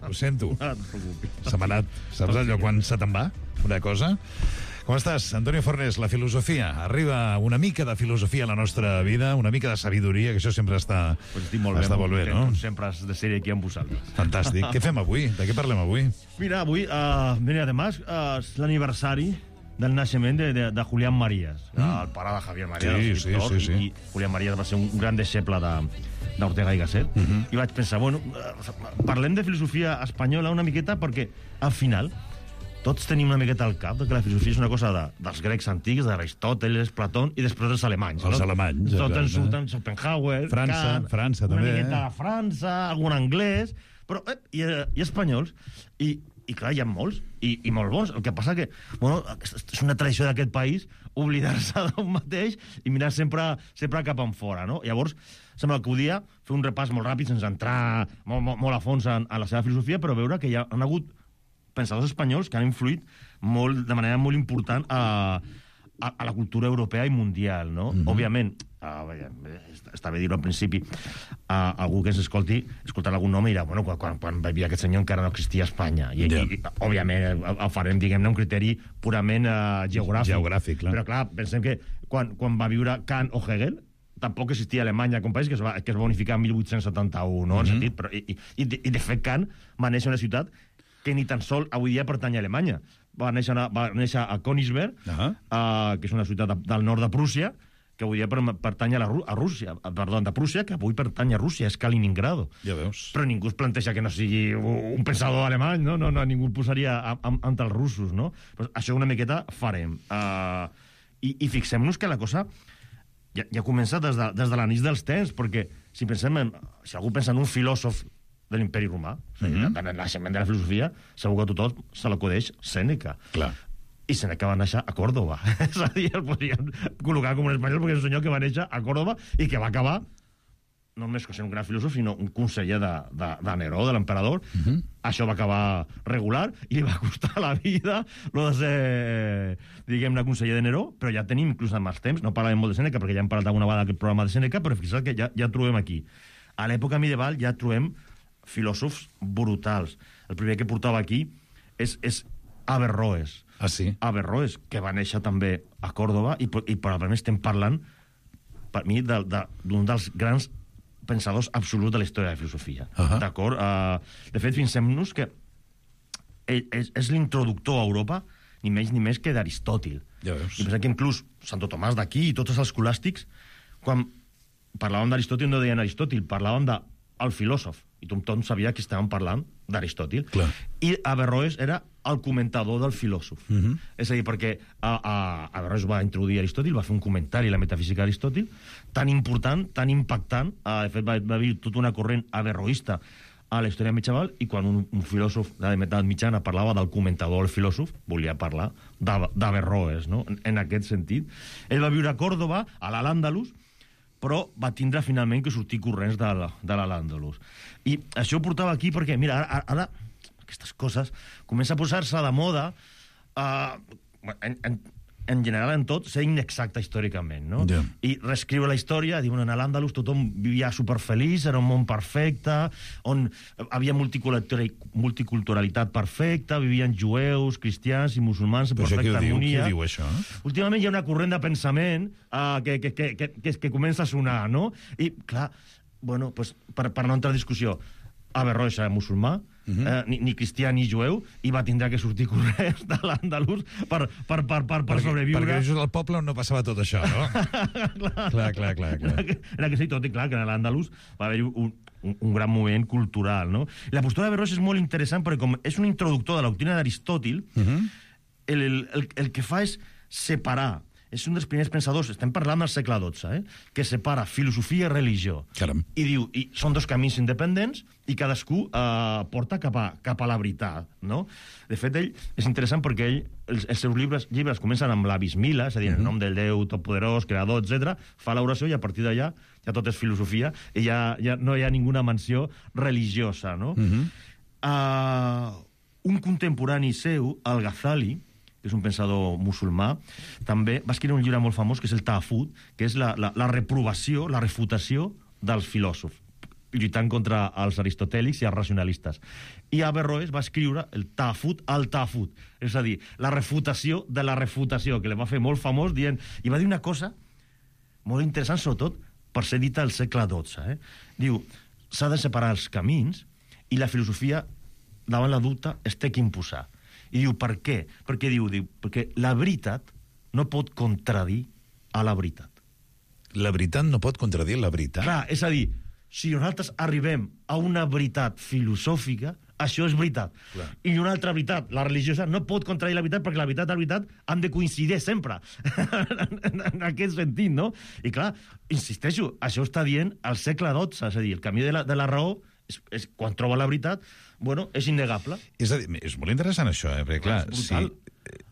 S10: Ho sento. Se m'ha anat. Saps allò quan se te'n va? Una cosa? Com estàs, Antonio Fornés? La filosofia. Arriba una mica de filosofia a la nostra vida, una mica de sabidoria, que això sempre està,
S13: pues estic molt
S10: està
S13: bé,
S10: molt bé, no?
S13: Sempre has de ser aquí amb vosaltres.
S10: Fantàstic. Què fem avui? De què parlem avui?
S13: Mira, avui, mira, además, és l'aniversari del naixement de Julián Marías, el pare de Javier Marías,
S10: sí.
S13: I Julián Marías va ser un gran deixeble d'Ortega i Gasset. I vaig pensar, bueno, parlem de filosofia espanyola una miqueta perquè, al final, tots tenim una miqueta al cap que la filosofia és una cosa dels grecs antics, d'Aristòteles, Platón, i després dels alemanys.
S10: Els alemanys.
S13: Tots ens surten Schopenhauer,
S10: França també.
S13: Una miqueta de França, algun anglès, però i espanyols. I clar, hi ha molts, i molt bons. El que passa que, bueno, és una tradició d'aquest país oblidar-se d'un mateix i mirar sempre cap enfora, no? Llavors, sembla que podia fer un repàs molt ràpid sense entrar molt a fons en la seva filosofia, però veure que hi han hagut pensadors espanyols que han influït de manera molt important a la cultura europea i mundial, no? Òbviament, està bé dir-ho al principi, algú que ens escoltarà algun nom i dirà, bueno, quan va vivir aquest senyor encara no existia Espanya. I òbviament, el farem, diguem-ne, un criteri purament geogràfic. Però clar, pensem que quan va viure Kant o Hegel, tampoc existia Alemanya com país, que es va unificar en 1871, no? En sentit, i de fet Kant va néixer en una ciutat que ni tan sol avui dia pertany a Alemanya. Va néixer a Königsberg, que és una ciutat del nord de Prússia, que avui dia pertany a Rússia, de Prússia, que avui pertany a Rússia, és Kaliningrado.
S10: Ja veus.
S13: Però ningú es planteja que no sigui un pensador alemany, no? Ningú el posaria entre els russos, no? Però això una miqueta farem. I fixem-nos que la cosa ja comença des de l'anís dels temps, perquè si algú pensa en un filòsof de l'imperi romà, en el naixement de la filosofia, segur que a tothom se l'acudeix Sèneca.
S10: Clar.
S13: I Sèneca va néixer a Còrdova. És a dir, el podríem col·locar com un espanyol perquè és un senyor que va néixer a Còrdova i que va acabar no només ser un gran filòsof, sinó un conseller de Neró, de l'emperador. Això va acabar regular i li va costar la vida lo de ser, diguem-ne, conseller de Neró, però ja tenim inclús en els temps, no parlem molt de Sèneca perquè ja hem parlat alguna vegada d'aquest programa de Sèneca, però fixa't que ja trobem aquí. A l'època medieval ja trobem filòsofs brutals. El primer que portava aquí és Averroes.
S10: Ah, sí?
S13: Averroes, que va néixer també a Còrdova i probablement estem parlant, per mi, d'un dels grans pensadors absoluts de la història de la filosofia. D'acord? De fet, fixem-nos que és l'introductor a Europa ni menys ni més que d'Aristòtil.
S10: Ja veus.
S13: I pensem que inclús Santo Tomàs d'aquí i tots els escolàstics, quan parlaven d'Aristòtil no deien Aristòtil, parlaven del filòsof. I tothom sabia que estàvem parlant d'Aristòtil. I Averroes era el comentador del filòsof. És a dir, perquè Averroes va introduir Aristòtil, va fer un comentari a la metafísica d'Aristòtil, tan important, tan impactant, de fet va haver tota una corrent averroista a la història medieval, i quan un filòsof de l'edat mitjana parlava del comentador del filòsof, volia parlar d'Averroes, no? En aquest sentit. Ell va viure a Còrdova, a l'Al-Àndalus, però va tindre finalment que sortir corrents de l'Al-Àndalus. I això ho portava aquí perquè, mira, ara aquestes coses comença a posar-se de moda, en general en tot, ser inexacta històricament, no? Yeah. I reescriure la història, diuen, en l'Àndalus tothom vivia superfeliç, era un món perfecte, on havia multiculturalitat perfecta, vivien jueus, cristians i musulmans en perfecta harmonia.
S10: Qui diu això?
S13: Últimament hi ha una corrent de pensament que comença a sonar, no? I, clar, bueno, pues, per no entrar en discussió, Averroes era musulmà, ni cristià ni jueu, i va tindre que sortir corrents de l'Àndalus per sobreviure.
S10: Perquè és el poble on no passava tot això, no? clar.
S13: Era que sí, tot i clar que a l'Àndalus va haver-hi un gran moviment cultural, no? I la postura d'Averroes és molt interessant perquè com és un introductor de la doctrina d'Aristòtil, el que fa és separar és un dels primers pensadors, estem parlant del segle XII, que separa filosofia i religió.
S10: Caram.
S13: I diu, són dos camins independents i cadascú porta cap a la veritat, no? De fet, ell és interessant perquè ell, els seus llibres comencen amb la bismila, és a dir, en nom del Déu totpoderós, creador, etc. Fa l'oració i a partir d'allà ja tot és filosofia i ja no hi ha ninguna menció religiosa, no? Un contemporani seu, el Ghazali, que és un pensador musulmà, també va escriure un llibre molt famós, que és el Tahafut, que és la reprovació, la refutació dels filòsofs, lluitant contra els aristotèlics i els racionalistes. I Averroes va escriure el Tahafut al Tahafut, és a dir, la refutació de la refutació, que li va fer molt famós dient... I va dir una cosa molt interessant, sobretot, per ser dita al segle XII. Diu, s'ha de separar els camins i la filosofia, davant la dubte, es té que imposar. I diu, per què? Perquè diu, perquè la veritat no pot contradir a la veritat.
S10: La veritat no pot contradir la veritat?
S13: Clar, és a dir, si nosaltres arribem a una veritat filosòfica, això és veritat. Clar. I una altra veritat, la religiosa, no pot contradir la veritat perquè la veritat i la veritat han de coincidir sempre. en aquest sentit, no? I clar, insisteixo, això està dient al segle XII, és a dir, el camí de la raó és quan troba la veritat, bueno, és innegable.
S10: És a dir, és molt interessant això, perquè clar,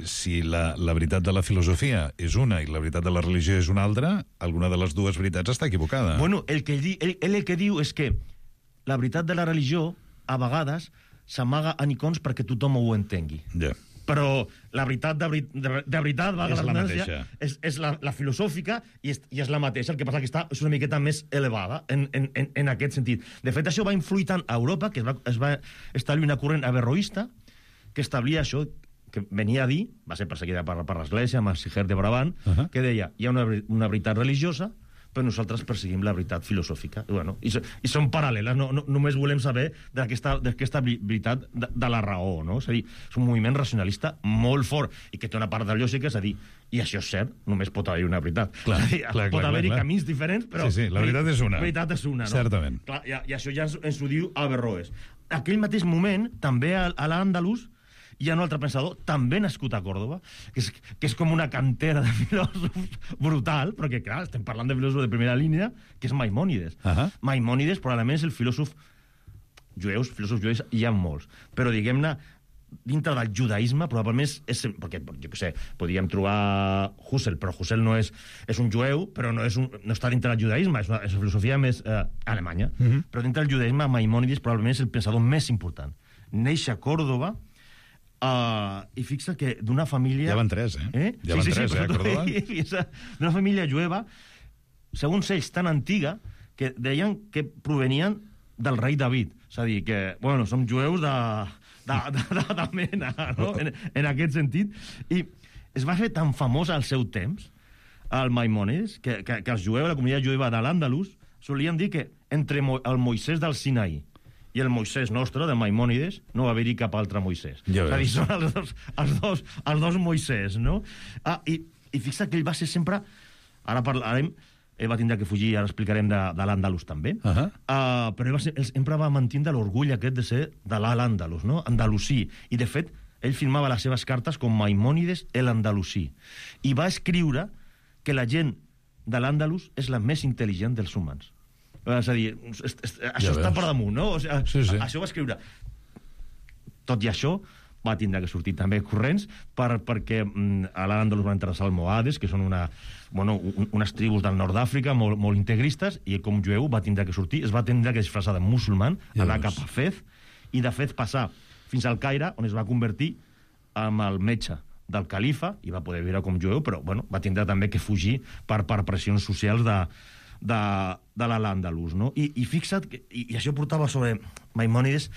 S10: si la veritat de la filosofia és una i la veritat de la religió és una altra, alguna de les dues veritats està equivocada.
S13: Bueno, el que diu és que la veritat de la religió, a vegades, s'amaga a nicons perquè tothom ho entengui.
S10: Ja.
S13: Però la veritat de veritat
S10: és la mateixa.
S13: És la filosòfica i és la mateixa, el que passa que és una miqueta més elevada en aquest sentit. De fet, això va influir tant a Europa que es va establir una corrent averroista que establia això, que venia a dir, va ser perseguida per l'Església, amb el Siger de Brabant, que deia, hi ha una veritat religiosa, però nosaltres perseguim la veritat filosòfica. I són paral·leles, només volem saber d'aquesta veritat de la raó, no? És a dir, és un moviment racionalista molt fort i que té una part de lògica, és a dir, i això és cert, només pot haver una veritat. Pot haver-hi camins diferents, però...
S10: Sí, la veritat és una.
S13: La veritat és una, no?
S10: Certament.
S13: Clar, i això ja ens ho diu Averroes. Aquell mateix moment, també a l'Àndalus, hi ha un altre pensador, també nascut a Còrdova, que és com una cantera de filòsofs brutal, perquè, clar, estem parlant de filòsofs de primera línia, que és Maimònides. Maimònides probablement és el filòsof filòsofs jueus hi ha molts, però diguem-ne, dintre del judaïsme, probablement perquè, jo què sé, podríem trobar Husserl, però Husserl no és un jueu, però no està dintre del judaïsme, és una filosofia més alemanya. Però dintre del judaïsme, Maimònides probablement és el pensador més important. Neix a Còrdova, i fixa que d'una família...
S10: Ja van tres, Ja van tres, a Còrdova.
S13: D'una família jueva, segons ells, tan antiga, que deien que provenien del rei David. És a dir, que, bueno, som jueus de mena, no? En aquest sentit. I es va fer tan famós al seu temps, el Maimònides, que els jueus, la comunitat jueva de l'Àndalus, solien dir que entre el Moisès del Sinaí i el Moisès nostre, de Maimònides, no va haver-hi cap altre Moisès.
S10: Ja
S13: és a dir, són els dos Moisès, no? I fixa que ell va ser sempre... Ara parlarem... Ell va tindre que fugir, ara explicarem, de l'Àndalus també. Però ell sempre va mantindre l'orgull aquest de ser de l'Àndalus, no? Andalusí. I, de fet, ell firmava les seves cartes com Maimònides el Andalusí. I va escriure que la gent de l'Àndalus és la més intel·ligent dels humans. És a dir, això està per damunt, no? O sigui, això va escriure. Tot i això, va tindre que sortir també corrents perquè a l'Àndalus van entrar els almohades, que són unes tribus del nord d'Àfrica molt integristes, i com jueu va tindre que sortir, es va tindre que disfressar de musulman, anar cap a Fez, i de Fez passar fins al Caire, on es va convertir en el metge del califa, i va poder viure com jueu, però va tindre també que fugir per pressions socials de l'Àndalus, no? I fixa't, i això portava sobre Maimònides.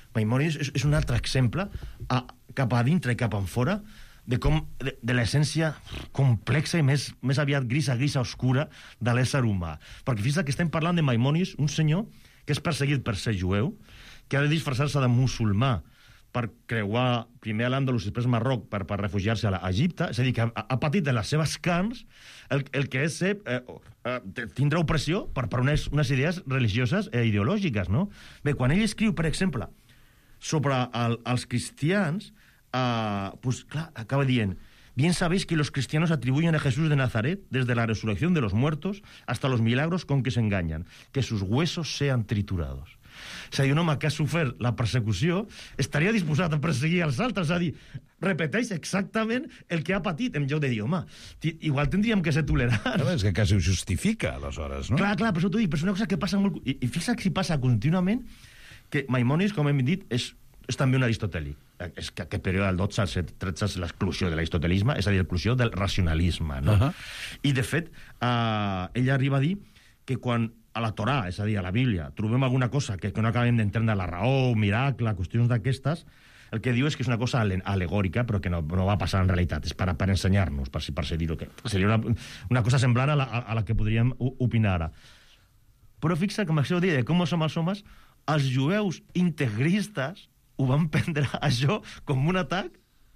S13: Maimònides és un altre exemple, cap a dintre i cap a fora, de l'essència complexa i més aviat grisa, oscura de l'ésser humà. Perquè fixa't que estem parlant de Maimònides, un senyor que és perseguit per ser jueu, que ha de disfressar-se de musulmà per creuar primer a l'Àndalus i després a Marroc per refugiar-se a Egipte. És a dir, que ha patit en les seves carns el que és tindre opressió per unes idees religioses i ideològiques, no? Bé, quan ell escriu, per exemple, sobre els cristians, clar, acaba dient Bien sabéis que los cristianos atribuyen a Jesús de Nazaret, desde la resurrección de los muertos hasta los milagros con que se engañan, que sus huesos sean triturados. És a dir, un home que ha sofert la persecució estaria disposat a perseguir els altres, és a dir, repeteix exactament el que ha patit, en lloc de dir, home, igual tindríem que ser tolerants.
S10: No, és que quasi ho justifica, aleshores, no?
S13: Clar, per això t'ho dic, però és una cosa que passa molt... I fixa't si passa contínuament que Maimònides, com hem dit, és també un aristotèlic. És que aquest període del 12 al 13 és l'exclusió de l'aristotelisme, és a dir, l'exclusió del racionalisme, no? I, de fet, ella arriba a dir que quan a la Torà, és a dir, a la Bíblia, trobem alguna cosa que no acabem d'entendre, la raó, miracle, qüestions d'aquestes, el que diu és que és una cosa alegòrica, però que no va passar en realitat, és per ensenyar-nos, per dir-ho, que seria una cosa semblant a la que podríem opinar ara. Però fixa, com això de com som els homes, els jueus integristes ho van prendre això com un atac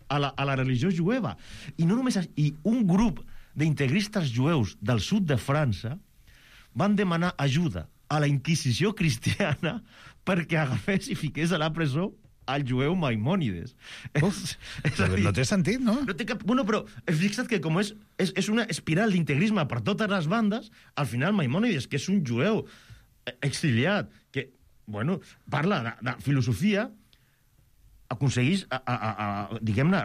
S13: a la religió jueva. I no només i un grup d'integristes jueus del sud de França van demanar ajuda a la Inquisició cristiana perquè agafés i fiqués a la presó al jueu Maimònides.
S10: No té sentit, no?
S13: No té cap... Bueno, però fixa't que com és una espiral d'integrisme per totes les bandes, al final Maimònides, que és un jueu exiliat, que, bueno, parla de filosofia, aconsegueix, diguem-ne,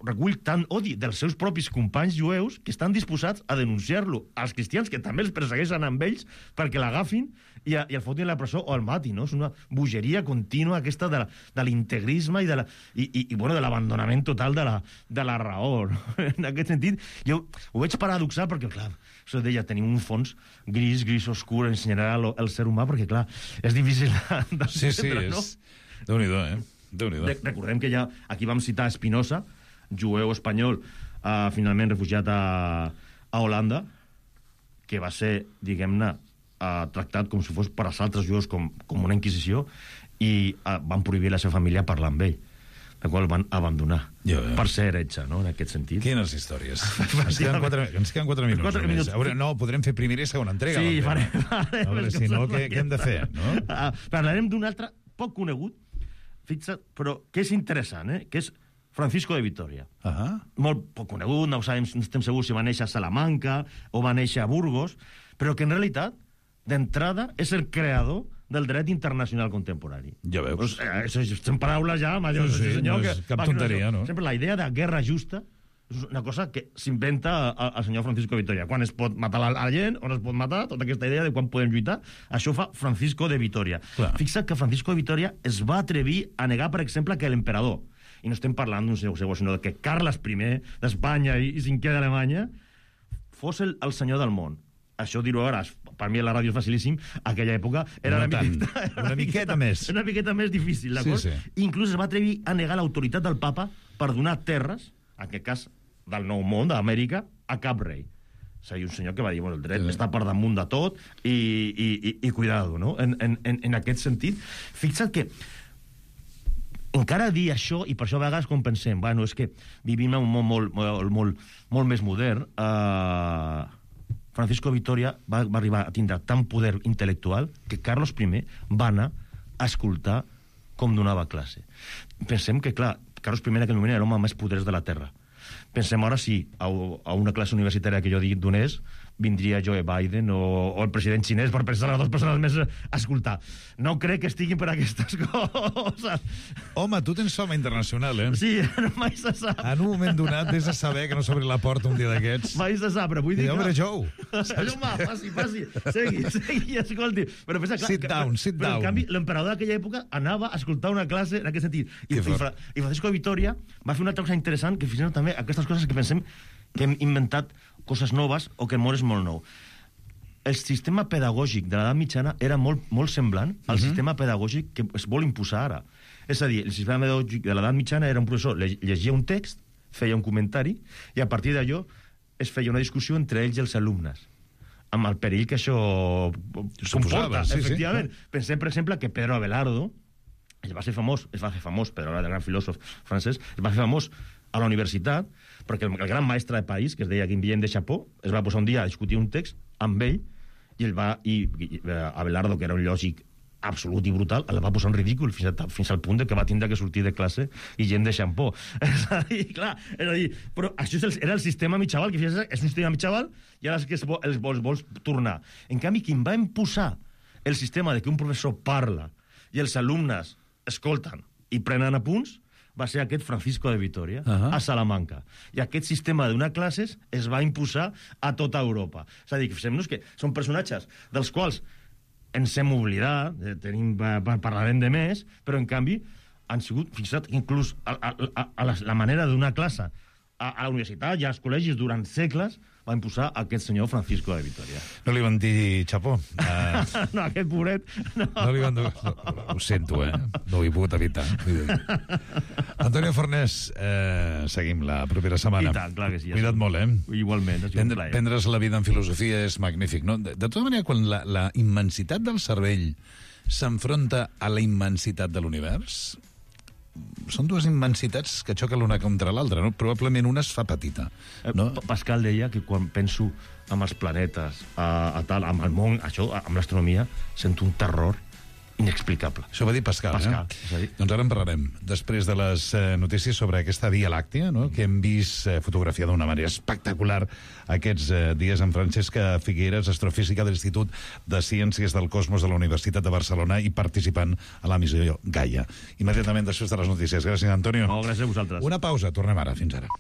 S13: recull tant odi dels seus propis companys jueus que estan disposats a denunciar-lo als cristians, que també els persegueixen amb ells perquè l'agafin i el fotin a la presó o el matin, no? És una bogeria contínua aquesta de l'integrisme i bueno, de l'abandonament total de la raó, no? En aquest sentit, jo ho veig paradoxal perquè, clar, això deia, tenim un fons gris oscur en general el ser humà, perquè, clar, és difícil d'entendre, no?
S10: Déu-n'hi-do,
S13: Recordem que ja aquí vam citar Spinoza, jueu espanyol, finalment refugiat a Holanda, que va ser, diguem-ne, tractat com si fos per als altres jueus com una inquisició, i van prohibir a la seva família parlar amb ell, la qual van abandonar per ser heretge, no?, en aquest sentit.
S10: Quines històries. Ens queden 4 minuts. No, podrem fer primera i segona entrega.
S13: Sí, farem.
S10: A veure, si no, què hem de fer, no?
S13: Parlarem d'un altre poc conegut, fixa't, però que és interessant, que és Francisco de Vitoria. Molt poc conegut, no estem segurs si va néixer a Salamanca o va néixer a Burgos, però que en realitat, d'entrada, és el creador del dret internacional contemporani.
S10: Ja veus.
S13: Són paraules ja majors.
S10: Sí, no és cap tonteria, no?
S13: Sempre la idea de guerra justa és una cosa que s'inventa el senyor Francisco de Vitoria. Quan es pot matar la gent, on es pot matar, tota aquesta idea de quan podem lluitar, això fa Francisco de Vitoria. Fixa't que Francisco de Vitoria es va atrevir a negar, per exemple, que l'emperador, i no estem parlant d'un segon, sinó que Carles I d'Espanya i cinquè d'Alemanya fos el senyor del món. Això dir-ho ara, per mi a la ràdio és facilíssim, aquella època era
S10: una miqueta més
S13: difícil, d'acord?
S10: Sí.
S13: Inclús es va atrevir a negar l'autoritat del papa per donar terres, en aquest cas del Nou Món, d'Amèrica, a cap rei. És a dir, un senyor que va dir, bueno, el dret està per damunt de tot i cuidado, no? En aquest sentit, fixa't que encara dir això, i per això a vegades com pensem, bueno, és que vivim en un món molt més modern, Francisco Vitoria va arribar a tindre tant poder intel·lectual que Carlos I va anar a escoltar com donava classe. Pensem que, clar, Carlos I en aquell moment era l'home més poderós de la Terra. Pensem ara si a una classe universitària que jo donés vindria Joe Biden o el president xinès per pensar a 2 persones més a escoltar. No crec que estiguin per aquestes coses.
S10: Home, tu tens fama internacional, eh?
S13: Sí, mai se sap.
S10: En un moment donat vés a saber que no s'obri la porta un dia d'aquests.
S13: Mai se sap, però vull dir...
S10: Home, Joe.
S13: Home, passi. Segui, escolti. Però pensa, clar,
S10: sit down.
S13: Però, en canvi, l'emperador d'aquella època anava a escoltar una classe en aquest sentit. I Francisco de Vitoria va fer una altra cosa interessant, que fins també aquestes coses que pensem que hem inventat coses noves o que el món és molt nou. El sistema pedagògic de l'edat mitjana era molt semblant al sistema pedagògic que es vol imposar ara. És a dir, el sistema pedagògic de l'edat mitjana era un professor, llegia un text, feia un comentari, i a partir d'allò es feia una discussió entre ells i els alumnes, amb el perill que això comporta, efectivament. Pensem, per exemple, que Pedro Abelardo es va fer famós, Pedro Abelardo, el gran filòsof francès, es va fer famós a la universitat, perquè el gran mestre de París, que es deia Guillaume de Chapot, es va posar un dia a discutir un text amb ell, i Abelardo, que era un lògic absolut i brutal, el va posar en ridícul fins al punt de que va tindre que sortir de classe i gent de xampó. És a dir, però això era el sistema mitjaval, que és un sistema mitjaval i ara és que els vols tornar. En canvi, qui va imposar el sistema de que un professor parla i els alumnes escolten i prenen apunts va ser aquest Francisco de Vitoria, a Salamanca. I aquest sistema d'una classes es va imposar a tota Europa. És a dir, que fixem-nos que són personatges dels quals ens hem oblidat, parlarem de més, però en canvi han sigut, fixa't, inclús a la manera d'una classe a la universitat i als col·legis durant segles va imposar aquest senyor Francisco de Vitoria.
S10: No li van dir xapó?
S13: No, aquest pobret...
S10: No li van dir... Ho sento, no ho he pogut evitar. Antonio Fornés, seguim la propera setmana.
S13: I tant, clar que sí.
S10: Cuida't molt,
S13: Igualment, ha sigut un plaer.
S10: Prendre's la vida en filosofia és magnífic, no? De tota manera, quan la immensitat del cervell s'enfronta a la immensitat de l'univers, són dues immensitats que xoquen l'una contra l'altra, no? Probablement una es fa petita. No?
S13: Pascal deia que quan penso en els planetes, amb el món, amb l'astronomia, sento un terror inexplicable.
S10: Això va dir Pascal. Doncs ara en parlarem. Després de les notícies sobre aquesta Via Làctea, no? Que hem vist fotografiada d'una manera espectacular aquests dies en Francesca Figueres, astrofísica de l'Institut de Ciències del Cosmos de la Universitat de Barcelona i participant a la missió Gaia. Immediatament després de les notícies. Gràcies, Antonio.
S13: Gràcies a vosaltres.
S10: Una pausa. Tornem ara. Fins ara.